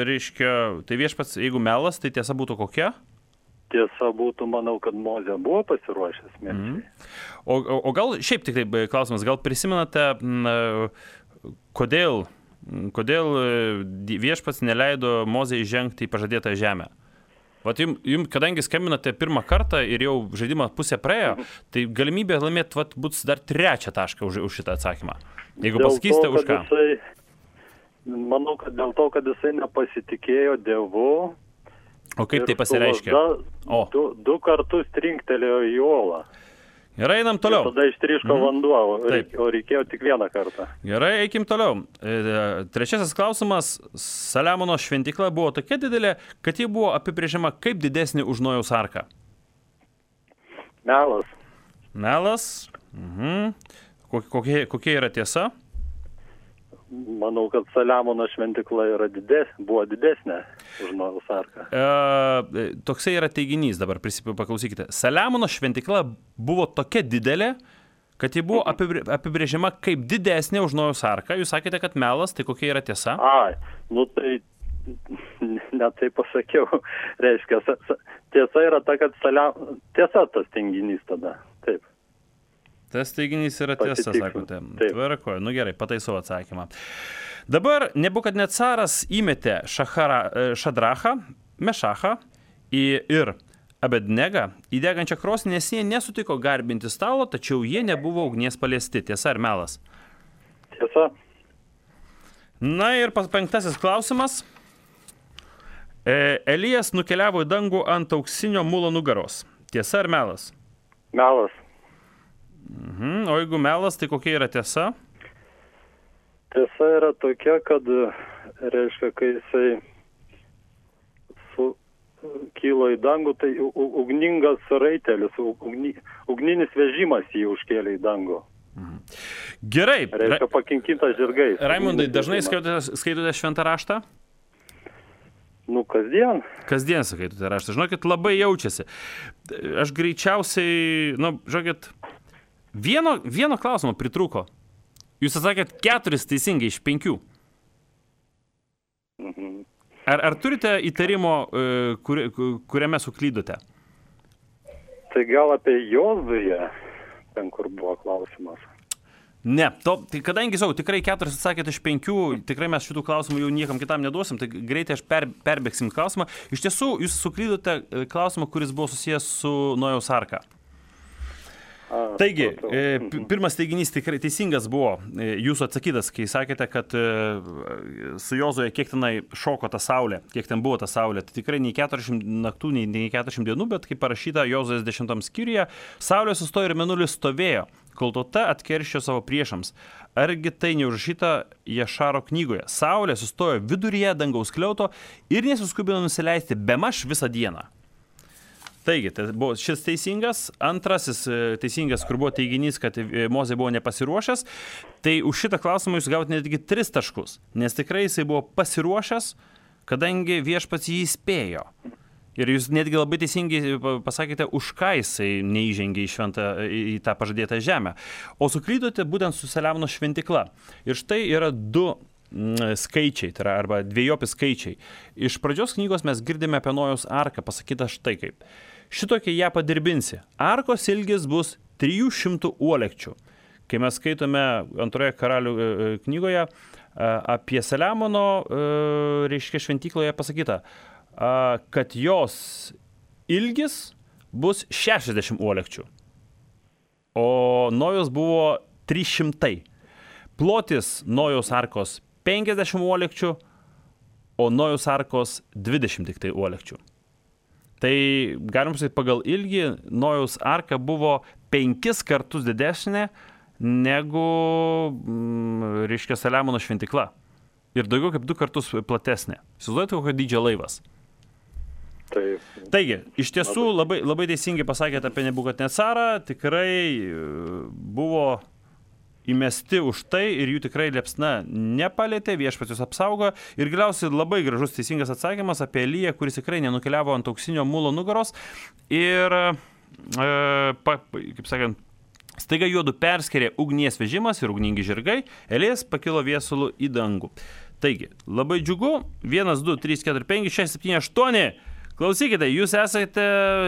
reiškia, tai viešpats, jeigu melas, tai tiesa būtų kokia? Tiesa būtų, manau, kad Mozė buvo pasiruošęs mirčiai. O, o, o gal, šiaip tik taip klausimas, gal prisimenate, m, kodėl, kodėl viešpats neleido Mozei žengti į pažadėtą žemę? Vat jums, jum, kadangi skambinate pirmą kartą ir jau žaidimą pusę praėjo, tai galimybė laimėti vat, bus dar trečią tašką už, už šitą atsakymą. Jeigu Dėl pasakysite, to, už kad ką? Jisai, manau, kad dėl to, kad jisai nepasitikėjo Dievu. O kaip ir tai pasireiškia? su lazda O. Du, du kartus trinktelėjo į uolą. Gerai, einam toliau. Tada ištryško Mhm. vanduo, o Taip. reik- o reikėjo tik vieną kartą. Gerai, eikim toliau. E, Trečiasis klausimas. Saliamono šventykla buvo tokia didelė, kad ji buvo apibrėžiama kaip didesnė už Nojaus arką. Melas. Melas. Mhm. Ko- Kokia, kokia yra tiesa? Manau, kad Saliamono šventykla yra dides, buvo didesnė už Nojaus arką. E, toksai yra teiginys, dabar prisip- paklausykite. Saliamono šventykla buvo tokia didelė, kad ji buvo apibrė- apibrėžiama kaip didesnė už Nojaus arką. Jūs sakėte, kad melas, tai kokia yra tiesa? Ai, nu tai net tai pasakiau. Reiškia, sa- sa- tiesa yra ta, kad Salia... tiesa tas tenginys tada. Taip. Tas teiginys yra tiesa, Pasitikslinu. sakote. Taip. Tvarkoju, nu gerai, pataisau atsakymą. Dabar Nebukadnecaras įmetė Šachara, Šadrachą, Mešachą į- ir Abednegą į degančią krosnį, nes jie nesutiko garbinti stalo, tačiau jie nebuvo ugnies paliesti. Tiesa ar melas? Tiesa. Na ir pas- penktasis klausimas. E, Elijas nukeliavo į dangų ant auksinio mulo nugaros. Tiesa ar melas? Melas. Mhm. O jeigu melas, tai kokia yra tiesa? Tiesa yra tokia, kad, reiškia, kai jisai su, kilo į dangų, tai u- u- ugningas raitelis, u- ugni, ugninis vežimas jį užkėlė į dangų. Gerai. Reiškia, pakinkytas žirgais. Raimundai, Ugninis dažnai vežimas. skaitote, skaitote šventą raštą? Nu, kasdien. Kasdien skaitote raštą. Žinokit, labai jaučiasi. Aš greičiausiai, nu, žinokit, Vieno, vieno klausimo pritrūko. Jūs atsakėt keturis teisingai iš penkių. Mhm. Ar, ar turite įtarimo, e, kur, kuriame suklydote? Tai gal apie Jozują, ten kur buvo klausimas. Ne, to, tai kadangi, sakau, tikrai keturis atsakėt iš penkių, tikrai mes šitų klausimų jau niekam kitam neduosim, tai greitai aš per, perbėgsim klausimą. Iš tiesų, jūs suklydote e, klausimą, kuris buvo susijęs su Nojaus arka. A, Taigi, supratau. e, Mhm. pi- pirmas teiginys tikrai teisingas buvo e, jūsų atsakytas, kai sakėte, kad e, su Jozuė kiek tenai šoko ta saulė, kiek ten buvo ta saulė. Tai tikrai nei keturiasdešimt naktų, nei, nei keturiasdešimt dienų, bet kaip parašyta Jozuės dešimtam skyriuje, saulė sustojo ir mėnulis stovėjo, kol tauta atkerščio savo priešams. Argi tai neužrašyta Jašaro knygoje? Saulė sustojo viduryje dangaus skliauto ir nesuskubino nusileisti bemaž visą dieną. Taigi, tai buvo šis teisingas. Antrasis e, teisingas, kur buvo teiginys, kad e, Mozė buvo nepasiruošęs, tai už šitą klausimą jūs gavote netgi tris taškus, nes tikrai jisai buvo pasiruošęs, kadangi viešpats jį įspėjo. Ir jūs netgi labai teisingai pasakėte, už ką jisai neįžengė į, šventą, į tą pažadėtą žemę. O suklydote būtent su Saliamono šventykla. Ir štai yra du mm, skaičiai, tai yra arba dviejopi skaičiai. Iš pradžios knygos mes girdime apie Nojaus arką, pasakyta štai kaip. Šitokia ją padirbinsi. Arkos ilgis bus trijų šimtų uolekčių. Kai mes skaitome antroje karalių e, knygoje e, apie Saliamono, e, reiškia šventykloje pasakyta, e, kad jos ilgis bus šešiasdešimt uolekčių. O Nojaus buvo trys šimtai. Plotis Nojaus arkos penkiasdešimt uolekčių, o Nojaus arkos dvidešimt tik tai uolekčių. Tai galim pasakyti, pagal ilgį Nojaus arka buvo penkis kartus didesnė negu, mm, reiškia, Saliamono šventykla. Ir daugiau kaip du kartus platesnė. Įsivaizduojate, kokio dydžio laivas. Taip. Taigi, iš tiesų labai, labai teisingai pasakėte apie Nebukadnecarą, tikrai e, buvo įmesti už tai ir jų tikrai liepsna nepalėtė, viešpats jūs apsaugo. Ir galiausiai labai gražus teisingas atsakymas apie Eliją, kuris tikrai nenukeliavo ant auksinio mulo nugaros. Ir, e, pa, kaip sakant, staiga juodu perskėrė ugnies vežimas ir ugningi žirgai, Elijas pakilo viesulų į dangų. Taigi, labai džiugu, vienas, du, trys, keturi, penki, šeši, septyni, aštuoni. Klausykite, jūs esate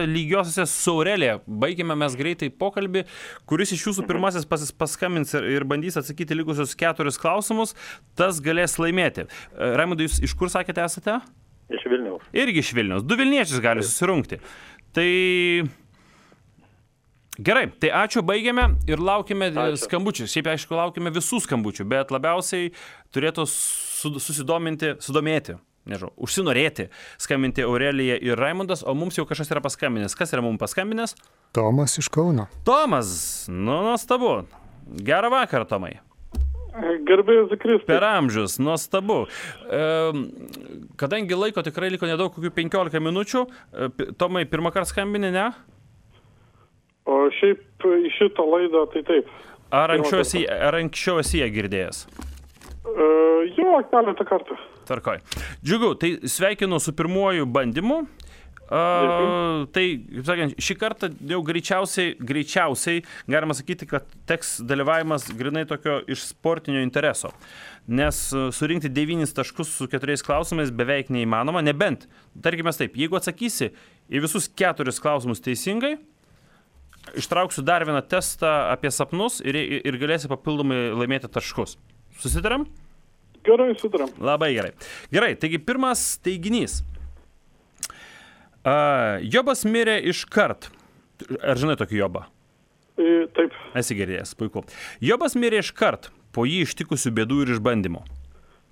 lygiosiuose su Aurelija. Baigime mes greitai pokalbį, kuris iš jūsų pirmasis pas, paskambins ir, ir bandys atsakyti likusius keturis klausimus, tas galės laimėti. Raimundai, jūs iš kur sakėte esate? Iš Vilniaus. Irgi iš Vilniaus. Du Vilniečius gali susirungti. Tai gerai, tai ačiū, baigiame ir laukime ačiū. Skambučių. Šiaip, aišku, laukime visų skambučių, bet labiausiai turėtų susidominti, sudomėti. Nežinau, užsinorėti skambinti Aurelija ir Raimundas, o mums jau kažkas yra paskambinęs. Kas yra mums paskambinęs? Tomas iš Kauno. Tomas, nu, nuostabu. Gerą vakarą, Tomai. Garbėjus Kristus. Per amžius, nuostabu. E, kadangi laiko tikrai liko nedaug, kokių penkiolika minučių, e, Tomai, pirmą kartą skambini, ne? O šiaip į šitą laidą, tai taip. Ar anksčiau esi, ar anksčiau esi ją girdėjęs? Uh, jo, keletą kartų. Tvarkoj. Džiugu, tai sveikinu su pirmuoju bandymu. Uh, tai, kaip sakant, šį kartą jau greičiausiai, greičiausiai galima sakyti, kad teks dalyvavimas grinai tokio iš sportinio intereso. Nes surinkti devynis taškus su keturiais klausimais beveik neįmanoma, nebent, tarkime taip, jeigu atsakysi į visus keturis klausimus teisingai, ištrauksiu dar vieną testą apie sapnus ir, ir galėsi papildomai laimėti taškus. Susitaram? Gerai, susitaram. Labai gerai. Gerai, taigi pirmas teiginys. Uh, Jobas mirė iškart. Ar žinai tokį Jobą? E, taip. Esi girdėjęs, puiku. Jobas mirė iškart po jį ištikusių bėdų ir išbandymų.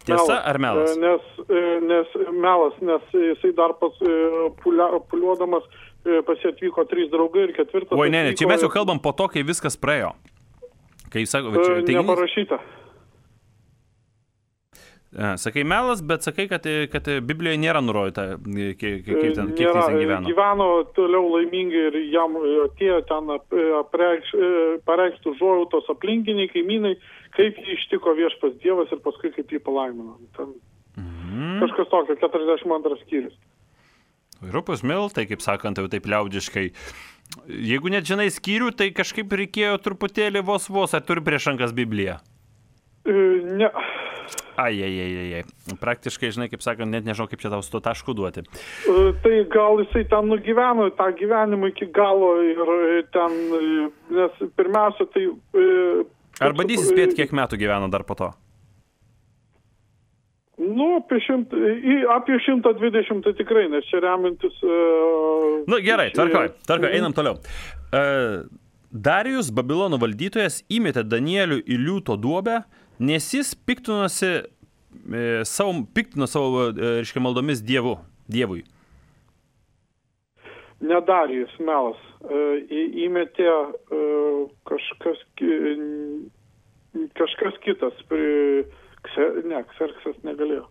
Tiesa melas. Ar melas? Nes, nes melas, nes jisai dar pas, pulia, puliuodamas pas jį atvyko trys draugai ir ketvirtas. Oi, ne, ne, čia mes jau kalbam po to, kai viskas praėjo. Kai sako, va, čia, teiginys... Neparašyta. Sakai melas, bet sakai, kad, kad Biblijoje nėra nurodyta, kaip, kaip ten, kiek jis ten gyveno. Gyveno toliau laimingai ir jam atėjo ten apreikš, pareikštų užuojautos aplinkiniai, kaimynai, kaip jį ištiko viešpas Dievas ir paskui kaip jį palaimino. Ten mhm. Kažkas tokio, keturiasdešimt antras skyrius. Rupus mil, tai kaip sakant, jau taip liaudiškai. Jeigu net žinai skyrių, tai kažkaip reikėjo truputėlį vos vos, ar turi prieš rankas Bibliją? E, ne. Ai, ai, ai, ai, ai. Praktiškai, žinai, kaip sakant, net nežinau, kaip čia tau su to tašku duoti. E, tai gal jisai ten nugyveno tą gyvenimą iki galo ir ten, nes pirmiausia, tai... E, ar bandysi spėti, kiek metų gyveno dar po to? Nu, apie, šimt, apie šimtą dvidešimt tai tikrai, nes čia remintis... Uh, nu, gerai, tvarkoj, tvarkoj, einam toliau. Uh, Darijus, Babilono valdytojas, įmetė Danielių į liūto duobę, nes jis piktinosi e, savo, piktino savo, e, reiškia, maldomis dievu, dievui. Ne Darijus, melas. E, į, įmetė e, kažkas, kažkas kitas. Prie, Ne, Kserksas negalėjo.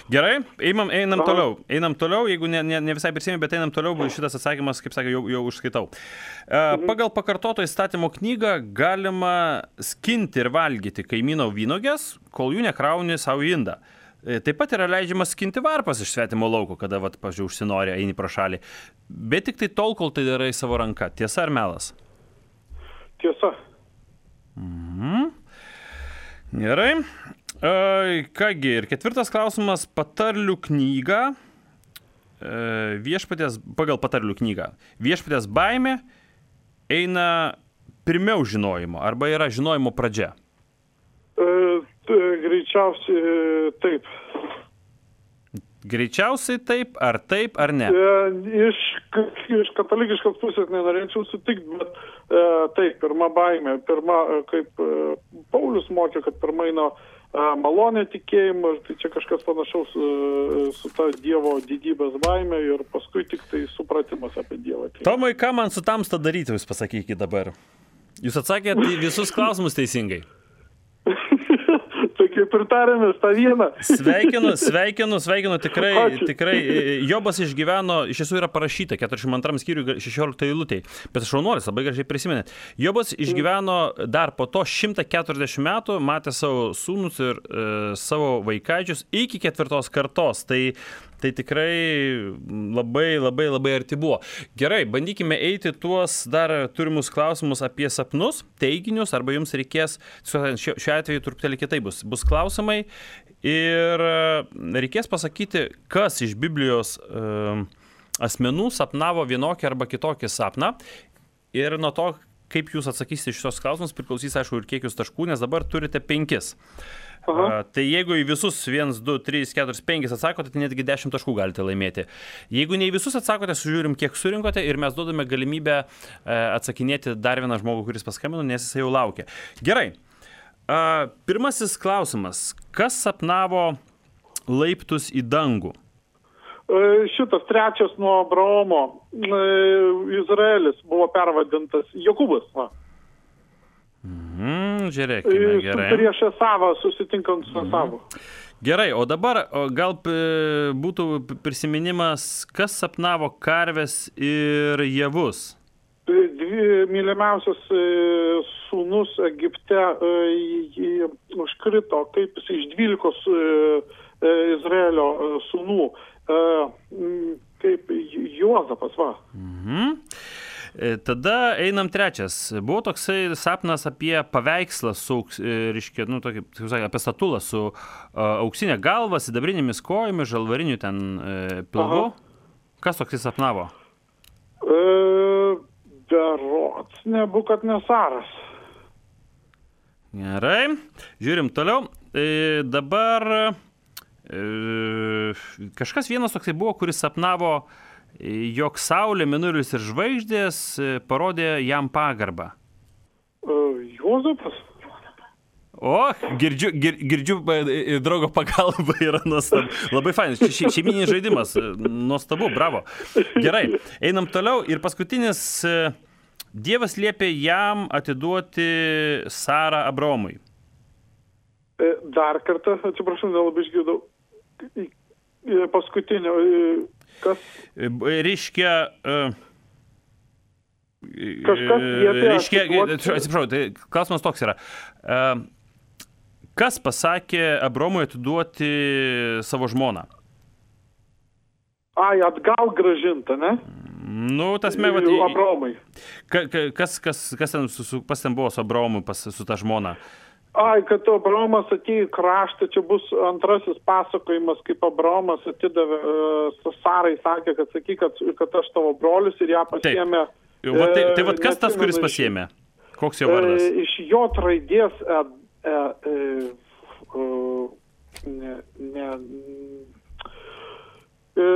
Gerai, einam, einam toliau. Einam toliau, jeigu ne, ne, ne visai prisimė, bet einam toliau, šitas atsakymas, kaip sakė, jau, jau užskaitau. Mhm. Pagal pakartoto įstatymo knygą galima skinti ir valgyti kaimyno vynogės, kol jų nekrauni savo į indą. Taip pat yra leidžiama skinti varpas iš svetimo lauko, kada, vat, pažiūrėjau, užsinori, eini pro šalį. Bet tik tai tol, kol tai darai savo ranka. Tiesa ar melas? Tiesa. Mhm. Gerai. E, kągi, ir ketvirtas klausimas, patarlių knyga, e, viešpaties, pagal patarlių knygą, viešpaties baimė eina pirmiau žinojimo, arba yra žinojimo pradžia? E, t, greičiausiai taip. Greičiausiai taip, ar taip, ar ne? E, iš, iš katalikiškos pusės nenorėčiau sutikti, bet e, taip, pirma baimė, pirma, kaip e, Paulius mokė, kad pirma eina malonė tikėjimą, tai čia kažkas panašaus su ta Dievo didybės baimė ir paskui tik tai supratimas apie Dievą. Tomai, ką man su tamsta daryti, jūs pasakykite dabar? Jūs atsakėte visus klausimus teisingai. Tai kaip ir tarėmės tą vieną. Sveikinu, sveikinu, sveikinu, tikrai, Ačiū. tikrai. Jobas išgyveno, iš tiesų yra parašyta, keturiasdešimt antram skyriui šešioliktoj eilutėj, bet šaunuolis, labai gražiai prisiminėt. Jobas išgyveno dar po to šimtą keturiasdešimt metų, matė savo sūnus ir e, savo vaikaičius iki ketvirtos kartos. Tai Tai tikrai labai, labai, labai arti buvo. Gerai, bandykime eiti tuos dar turimus klausimus apie sapnus, teiginius, arba jums reikės, šiuo atveju truputėlį kitaip bus, bus klausimai ir reikės pasakyti, kas iš Biblijos e, asmenų sapnavo vienokį arba kitokį sapną ir nuo to, kaip jūs atsakysite šios klausimus, priklausys, aišku, ir kiekius taškų, nes dabar turite penkis. Uh, tai jeigu į visus vienas, du, trys, keturi, penki atsakote, tai netgi dešimt taškų galite laimėti. Jeigu ne į visus atsakote, sužiūrim, kiek surinkote ir mes duodame galimybę uh, atsakinėti dar vieną žmogų, kuris paskambino, nes jis jau laukia. Gerai. Uh, pirmasis klausimas. Kas sapnavo laiptus į dangų? Uh, šitas trečias nuo Abraomo. Uh, Izraelis buvo pervadintas Jokūbas. Va. Mhm, žiūrėkime, gerai. Prieš Esavą, susitinkant su Esavu. Gerai, o dabar o gal būtų prisiminimas, kas sapnavo karves ir javus? Dvi mylimiausias sūnus Egipte užkrito, kaip jis iš dvylikos Izraelio sūnų, kaip Juozapas, va. Mhm. Tada einam trečias. Buvo toksai sapnas apie paveikslą su, reiškia, nu, tokį, apie statulą su uh, auksinė galva, sidabrinėmis kojomis, žalvariniu ten uh, pilvu. Aha. Kas toksai sapnavo? E, berods, Nebukadnesaras. Gerai. Žiūrim toliau. E, dabar e, kažkas vienas toksai buvo, kuris sapnavo, jog Saulė, Mėnulis ir žvaigždės parodė jam pagarbą. Uh, Juozapas? O, girdžiu, gir, girdžiu draugo pagalba yra nuostabu. Labai fainas, še, šeimininis žaidimas, nuostabu, bravo. Gerai, einam toliau ir paskutinis, Dievas liepė jam atiduoti Sarą Abraomui. Dar kartą, atsiprašau, nelabai išgirdau. Paskutinio... Kas? Reiškia... Uh, Kažkas liepė reiškia, atsiprašau, tai klausimas toks yra. Uh, kas pasakė Abraomui atiduoti savo žmoną? Ai, atgal gražinta, ne? Nu, tas me, vat, Abraomai. ka, ka, kas, kas, kas ten, su, su, pas ten buvo su Abraomu, pas, su ta žmona? Ai, kad Abraomas atėjo į kraštą, čia bus antrasis pasakojimas, kaip Abraomas atidavė, uh, Sarai sakė, kad sakyk, kad, kad aš tavo brolius ir ją pasiėmė. Taip. Va, tai, tai va, kas tas, neatsimenu, kuris pasiėmė? Koks jo vardas? E, iš jo raidės e, e, e, e, ne, ne, e,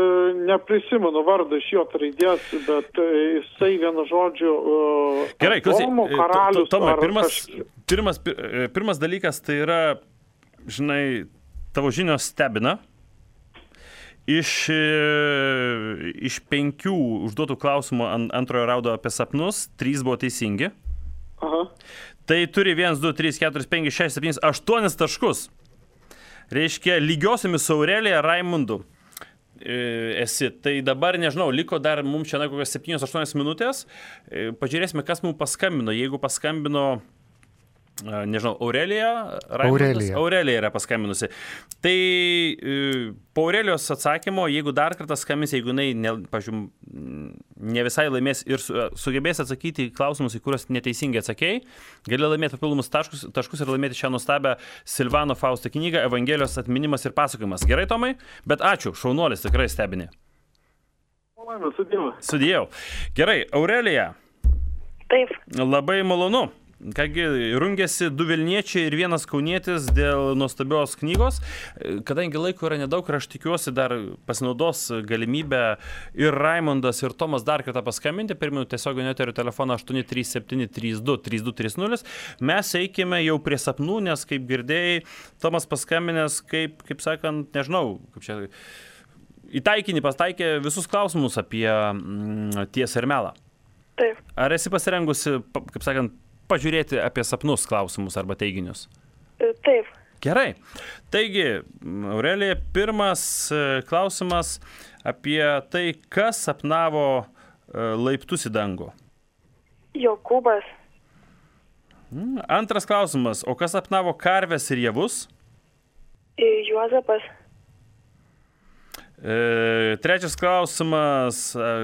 neprisimenu vardą iš jo raidės, bet e, jisai vienu žodžiu e, Gerai, klausyk, Adomo karalius. Tomai, ar pirmas, kaž- pirmas, pirmas dalykas tai yra, žinai, tavo žinios stebina. Iš, iš penkių užduotų klausimų ant antrojo raudo apie sapnus, trys buvo teisingi. Aha. Tai turi vienas, du, trys, keturi, penki, šeši, septyni, aštuonis taškus. Reiškia, lygiosiomis su Aurelija Raimundu e, esi. Tai dabar, nežinau, liko dar mums čia kokios septynios aštuonios minutės. E, pažiūrėsime, kas mums paskambino. Jeigu paskambino, nežinau, Aurelija Raimundas, Aurelija. Aurelija yra paskambinusi. Tai e, po Aurelijos atsakymo, jeigu dar kartą skambins, jeigu jinai, ne, pažiūrėjau, ne visai laimės ir su, sugebės atsakyti į klausimus, į kuriuos neteisingai atsakėjai, gali laimėti papildomus taškus, taškus ir laimėti šią nuostabią Silvano Fausto knygą Evangelijos atminimas ir pasakojimas. Gerai, Tomai? Bet ačiū, šaunuolis, tikrai stebini. Sudėjau. Sudėjau. Gerai, Aurelija. Taip. Labai malonu. Kągi, rungėsi du Vilniečiai ir vienas Kaunietis dėl nuostabios knygos. Kadangi laiko yra nedaug ir aš tikiuosi dar pasinaudos galimybę ir Raimundas, ir Tomas dar kartą paskambinti. Pirmiau tiesioginio eterio telefoną aštuoni trys septyni trys du trys du trys nulis. Mes eikime jau prie sapnų, nes kaip girdėjai, Tomas paskambinęs, kaip, kaip sakant, nežinau, kaip čia, į taikinį pastaikė visus klausimus apie mm, tiesą ir melą. Taip. Ar esi pasirengusi, kaip sakant, pažiūrėti apie sapnus klausimus arba teiginius? Taip. Gerai. Taigi, Aurelija, pirmas klausimas apie tai, kas sapnavo laiptus į dangų. Jokūbas. Antras klausimas, o kas sapnavo karves ir javus? Juozapas. E, trečias klausimas,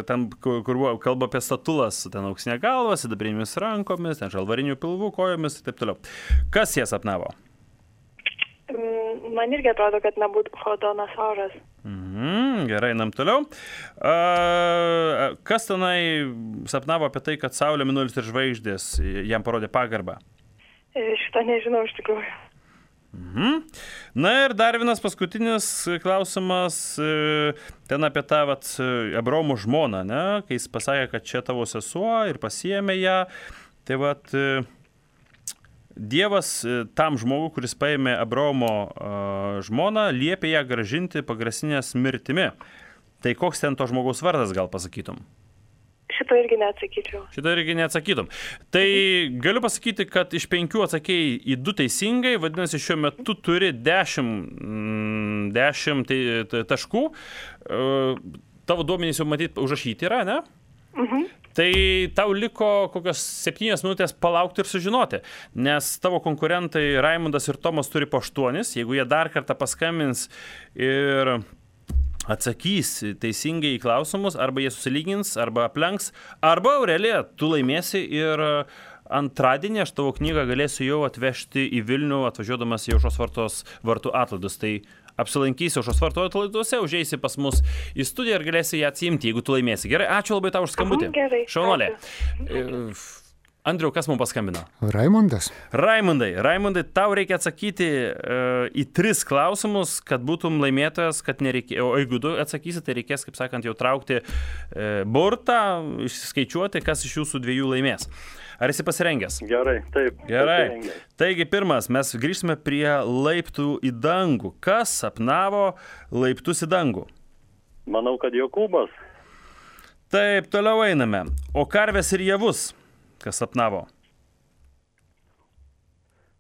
ten, kur, kur kalba apie statulas, ten auksinė galva, sidabrinėmis rankomis, ten žalvarinių pilvų kojomis ir taip toliau. Kas jie sapnavo? Man irgi atrodo, kad nebūtų Hodonasauras. Mhm, gerai, einam toliau. A, kas tenai sapnavo apie tai, kad Saulė, Mėnulis ir žvaigždės jam parodė pagarbą? Šitą nežinau iš tikrųjų. Mhm. Na ir dar vienas paskutinis klausimas, ten apie tą vat, Abraomo žmoną, ne? Kai jis pasakė, kad čia tavo sesuo ir pasiėmė ją. Tai vat, Dievas tam žmogui, kuris paėmė Abraomo žmoną, liepė ją gražinti pagrasinės mirtimi. Tai koks ten to žmogaus vardas, gal pasakytum? Šito irgi neatsakyčiau. Šito irgi neatsakytum. Tai galiu pasakyti, kad iš penkių atsakėjai į du teisingai, vadinasi, šiuo metu turi dešimt, dešimt taškų. Tavo duomenys jau matyt užrašyti yra, ne? Mhm. Tai tau liko kokios septynios minutės palaukti ir sužinoti, nes tavo konkurentai Raimundas ir Tomas turi po aštuonis, jeigu jie dar kartą paskambins ir atsakys teisingai į klausimus, arba jie susilygins, arba aplenks, arba Aurelija, tu laimėsi ir antradienį aš tavo knygą galėsiu jau atvežti į Vilnių, atvažiuodamas į Aušros vartos vartų atlaidus. Tai apsilankysi Aušros vartų atlaiduose, užeisi pas mus į studiją ir galėsi ją atsiimti, jeigu tu laimėsi. Gerai, ačiū labai tau už skambutį. Mhm, gerai. Šaunuolė. Ačiū. Andriau, kas mums paskambino? Raimundas. Raimundai, Raimundai, tau reikia atsakyti uh, į tris klausimus, kad būtum laimėtojas, kad nereikė, o jeigu du atsakysi, tai reikės, kaip sakant, jau traukti uh, burtą, išskaičiuoti, kas iš jūsų dviejų laimės. Ar esi pasirengęs? Gerai, taip. Gerai. Pasirengęs. Taigi, pirmas, mes grįžtame prie laiptų į dangų. Kas sapnavo laiptus į dangų? Manau, kad Jokūbas. Taip, toliau einame. O karves ir javus? Kas sapnavo?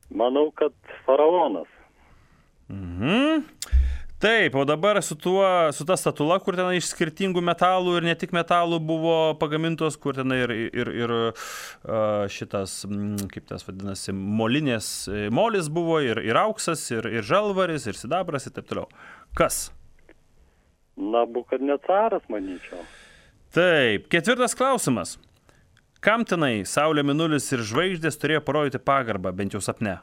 Manau, kad faraonas. Mhm. Taip, o dabar su, tuo, su ta statula, kur ten iš skirtingų metalų ir ne tik metalų buvo pagamintos, kur ten ir, ir, ir šitas, kaip tas vadinasi, molinės, molis buvo, ir, ir auksas, ir, ir žalvaris, ir sidabras, ir taip toliau. Kas? Nabukadnecaras, manyčiau. Taip, ketvirtas klausimas. Kam tenai Saulė, Mėnulis ir žvaigždės turėjo parodyti pagarbą, bent jau sapne?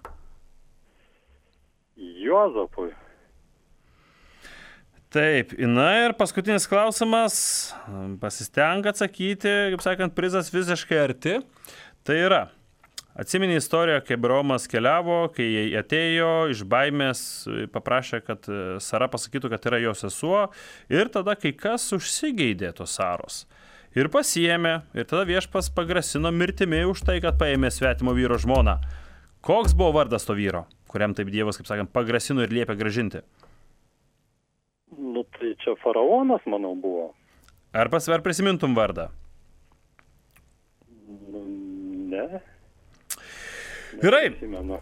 Juozapui. Taip, na ir paskutinis klausimas. Pasistenk atsakyti, kaip sakant, prizas visiškai arti. Tai yra, atsimeni istoriją, kai Abraomas keliavo, kai jie atėjo iš baimės, paprašė, kad Sara pasakytų, kad yra jo sesuo, ir tada kai kas užsigeidė tos Saros. Ir pasiėmė, ir tada viešpas pagrasino mirtimi už tai, kad paėmė svetimo vyro žmoną. Koks buvo vardas to vyro, kuriam taip Dievas, kaip sakant, pagrasino ir liepė gražinti? Nu, tai čia faraonas, manau, buvo. Ar pasver prisimintum vardą? Nu, ne. Gerai,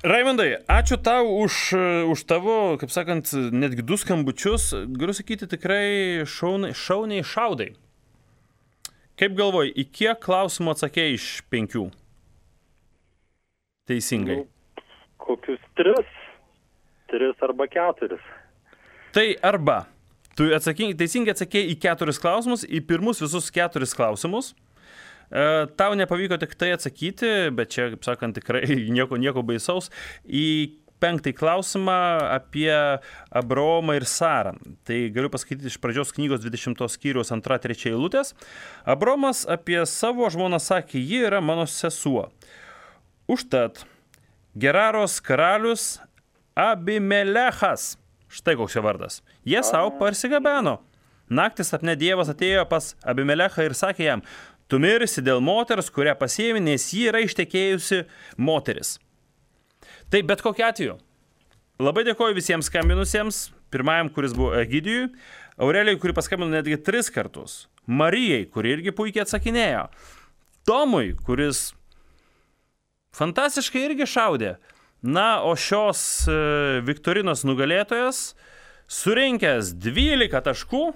Raimundai, ačiū tau už, už tavo, kaip sakant, netgi du skambučius. Galiu sakyti, tikrai šauniai, šauniai šaudai. Kaip galvoji, į kiek klausimų atsakėjai iš penkių? Teisingai. Nu, kokius tris. Tris arba keturis. Tai arba. Tu atsakingai, teisingai atsakėjai į keturis klausimus, į pirmus visus keturis klausimus. E, tau nepavyko tik tai atsakyti, bet čia, kaip sakant, tikrai nieko, nieko baisaus. Į penktąjį klausimą apie Abraomą ir Sarą. Tai galiu pasakyti iš pradžios knygos dvidešimtos skyriaus antra, trečia eilutės. Abraomas apie savo žmoną sakė, ji yra mano sesuo. Užtat Geraros karalius Abimelechas. Štai koks jo vardas. Jie savo parsigabeno. Naktį sapne Dievas atėjo pas Abimelechą ir sakė jam, tu mirsi dėl moters, kurią pasiėmė, nes ji yra ištekėjusi moteris. Tai bet kokiu atveju. Labai dėkoju visiems skambinusiems. Pirmajam, kuris buvo Egidijui. Aurelijai, kuri paskambino netgi tris kartus. Marijai, kuri irgi puikiai atsakinėjo. Tomui, kuris fantastiškai irgi šaudė. Na, o šios e, viktorinos nugalėtojas, surinkęs dvylika taškų,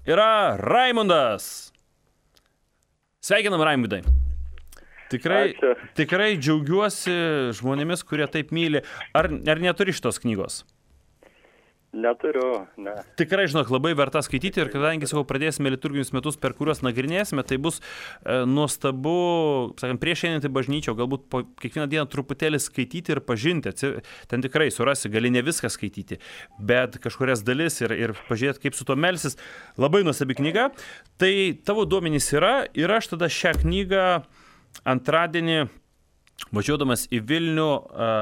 yra Raimundas. Sveikinam, Raimundai. Tikrai, tikrai džiaugiuosi žmonėmis, kurie taip myli. Ar, ar neturi šitos knygos? Neturiu, ne. Tikrai, žinok, labai verta skaityti ir kadangi savo pradėsime liturginius metus, per kuriuos nagrinėsime, tai bus e, nuostabu, sakant, prieš einant į bažnyčią, galbūt po kiekvieną dieną truputėlį skaityti ir pažinti. Ten tikrai surasi, gali ne viską skaityti, bet kažkurias dalis ir, ir pažiūrėti, kaip su to melsis. Labai nuostabi knyga. Tai tavo duomenys yra ir aš tada šią knygą antradienį, važiuodamas į Vilnių,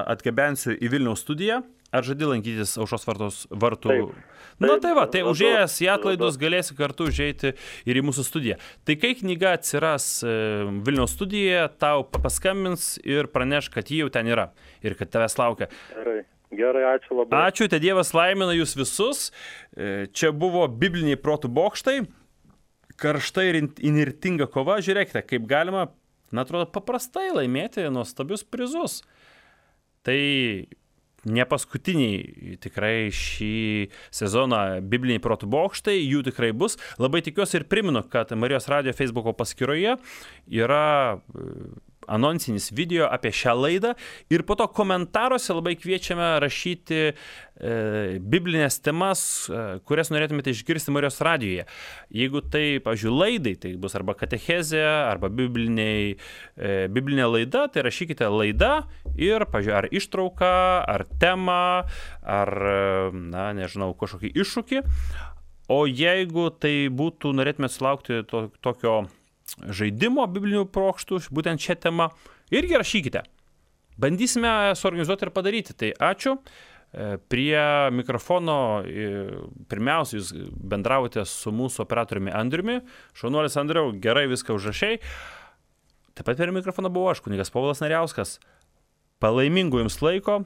atgabensiu į Vilniaus studiją. Ar žadi lankytis Aušros vartos vartų? Taip. Na tai va, tai užėjęs į atlaidus galėsi kartu užeiti ir į mūsų studiją. Tai kai knyga atsiras Vilniaus studijoje, tau paskambins ir praneš, kad ji jau ten yra ir kad tavęs laukia. Gerai, gerai, ačiū labai. Ačiū, te Dievas laimina jūs visus. Čia buvo bibliniai protų bokštai. Karšta ir inirtinga kova. Žiūrėkite, kaip galima, na, atrodo, paprastai laimėti nuostabius prizus. Tai ne paskutiniai tikrai šį sezoną bibliniai protų bokštai, jų tikrai bus. Labai tikiuosi ir primenu, kad Marijos radijo Facebooko paskyroje yra anonsinis video apie šią laidą ir po to komentaruose labai kviečiame rašyti e, biblinės temas, e, kurias norėtumėte išgirsti Marijos radijoje. Jeigu tai, pavyzdžiui, laidai, tai bus arba katechezė, arba bibliniai, e, biblinė laida, tai rašykite laida ir, pavyzdžiui, ar ištrauką, ar temą, ar, na, nežinau, kažkokį iššūkį. O jeigu tai būtų, norėtume sulaukti to, tokio žaidimo biblinių prokštų, būtent šią temą, irgi rašykite. Bandysime suorganizuoti ir padaryti. Tai ačiū. Prie mikrofono pirmiausia jūs bendravote su mūsų operatoriumi Andriumi. Šaunuolis Andriau, gerai viską užrašei. Taip pat prie mikrofono buvau aš, kunigas Povilas Nariauskas. Palaimingų jums laiko,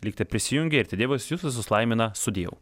likite prisijungę ir te Dievas jūs visus laimina, sudėjau.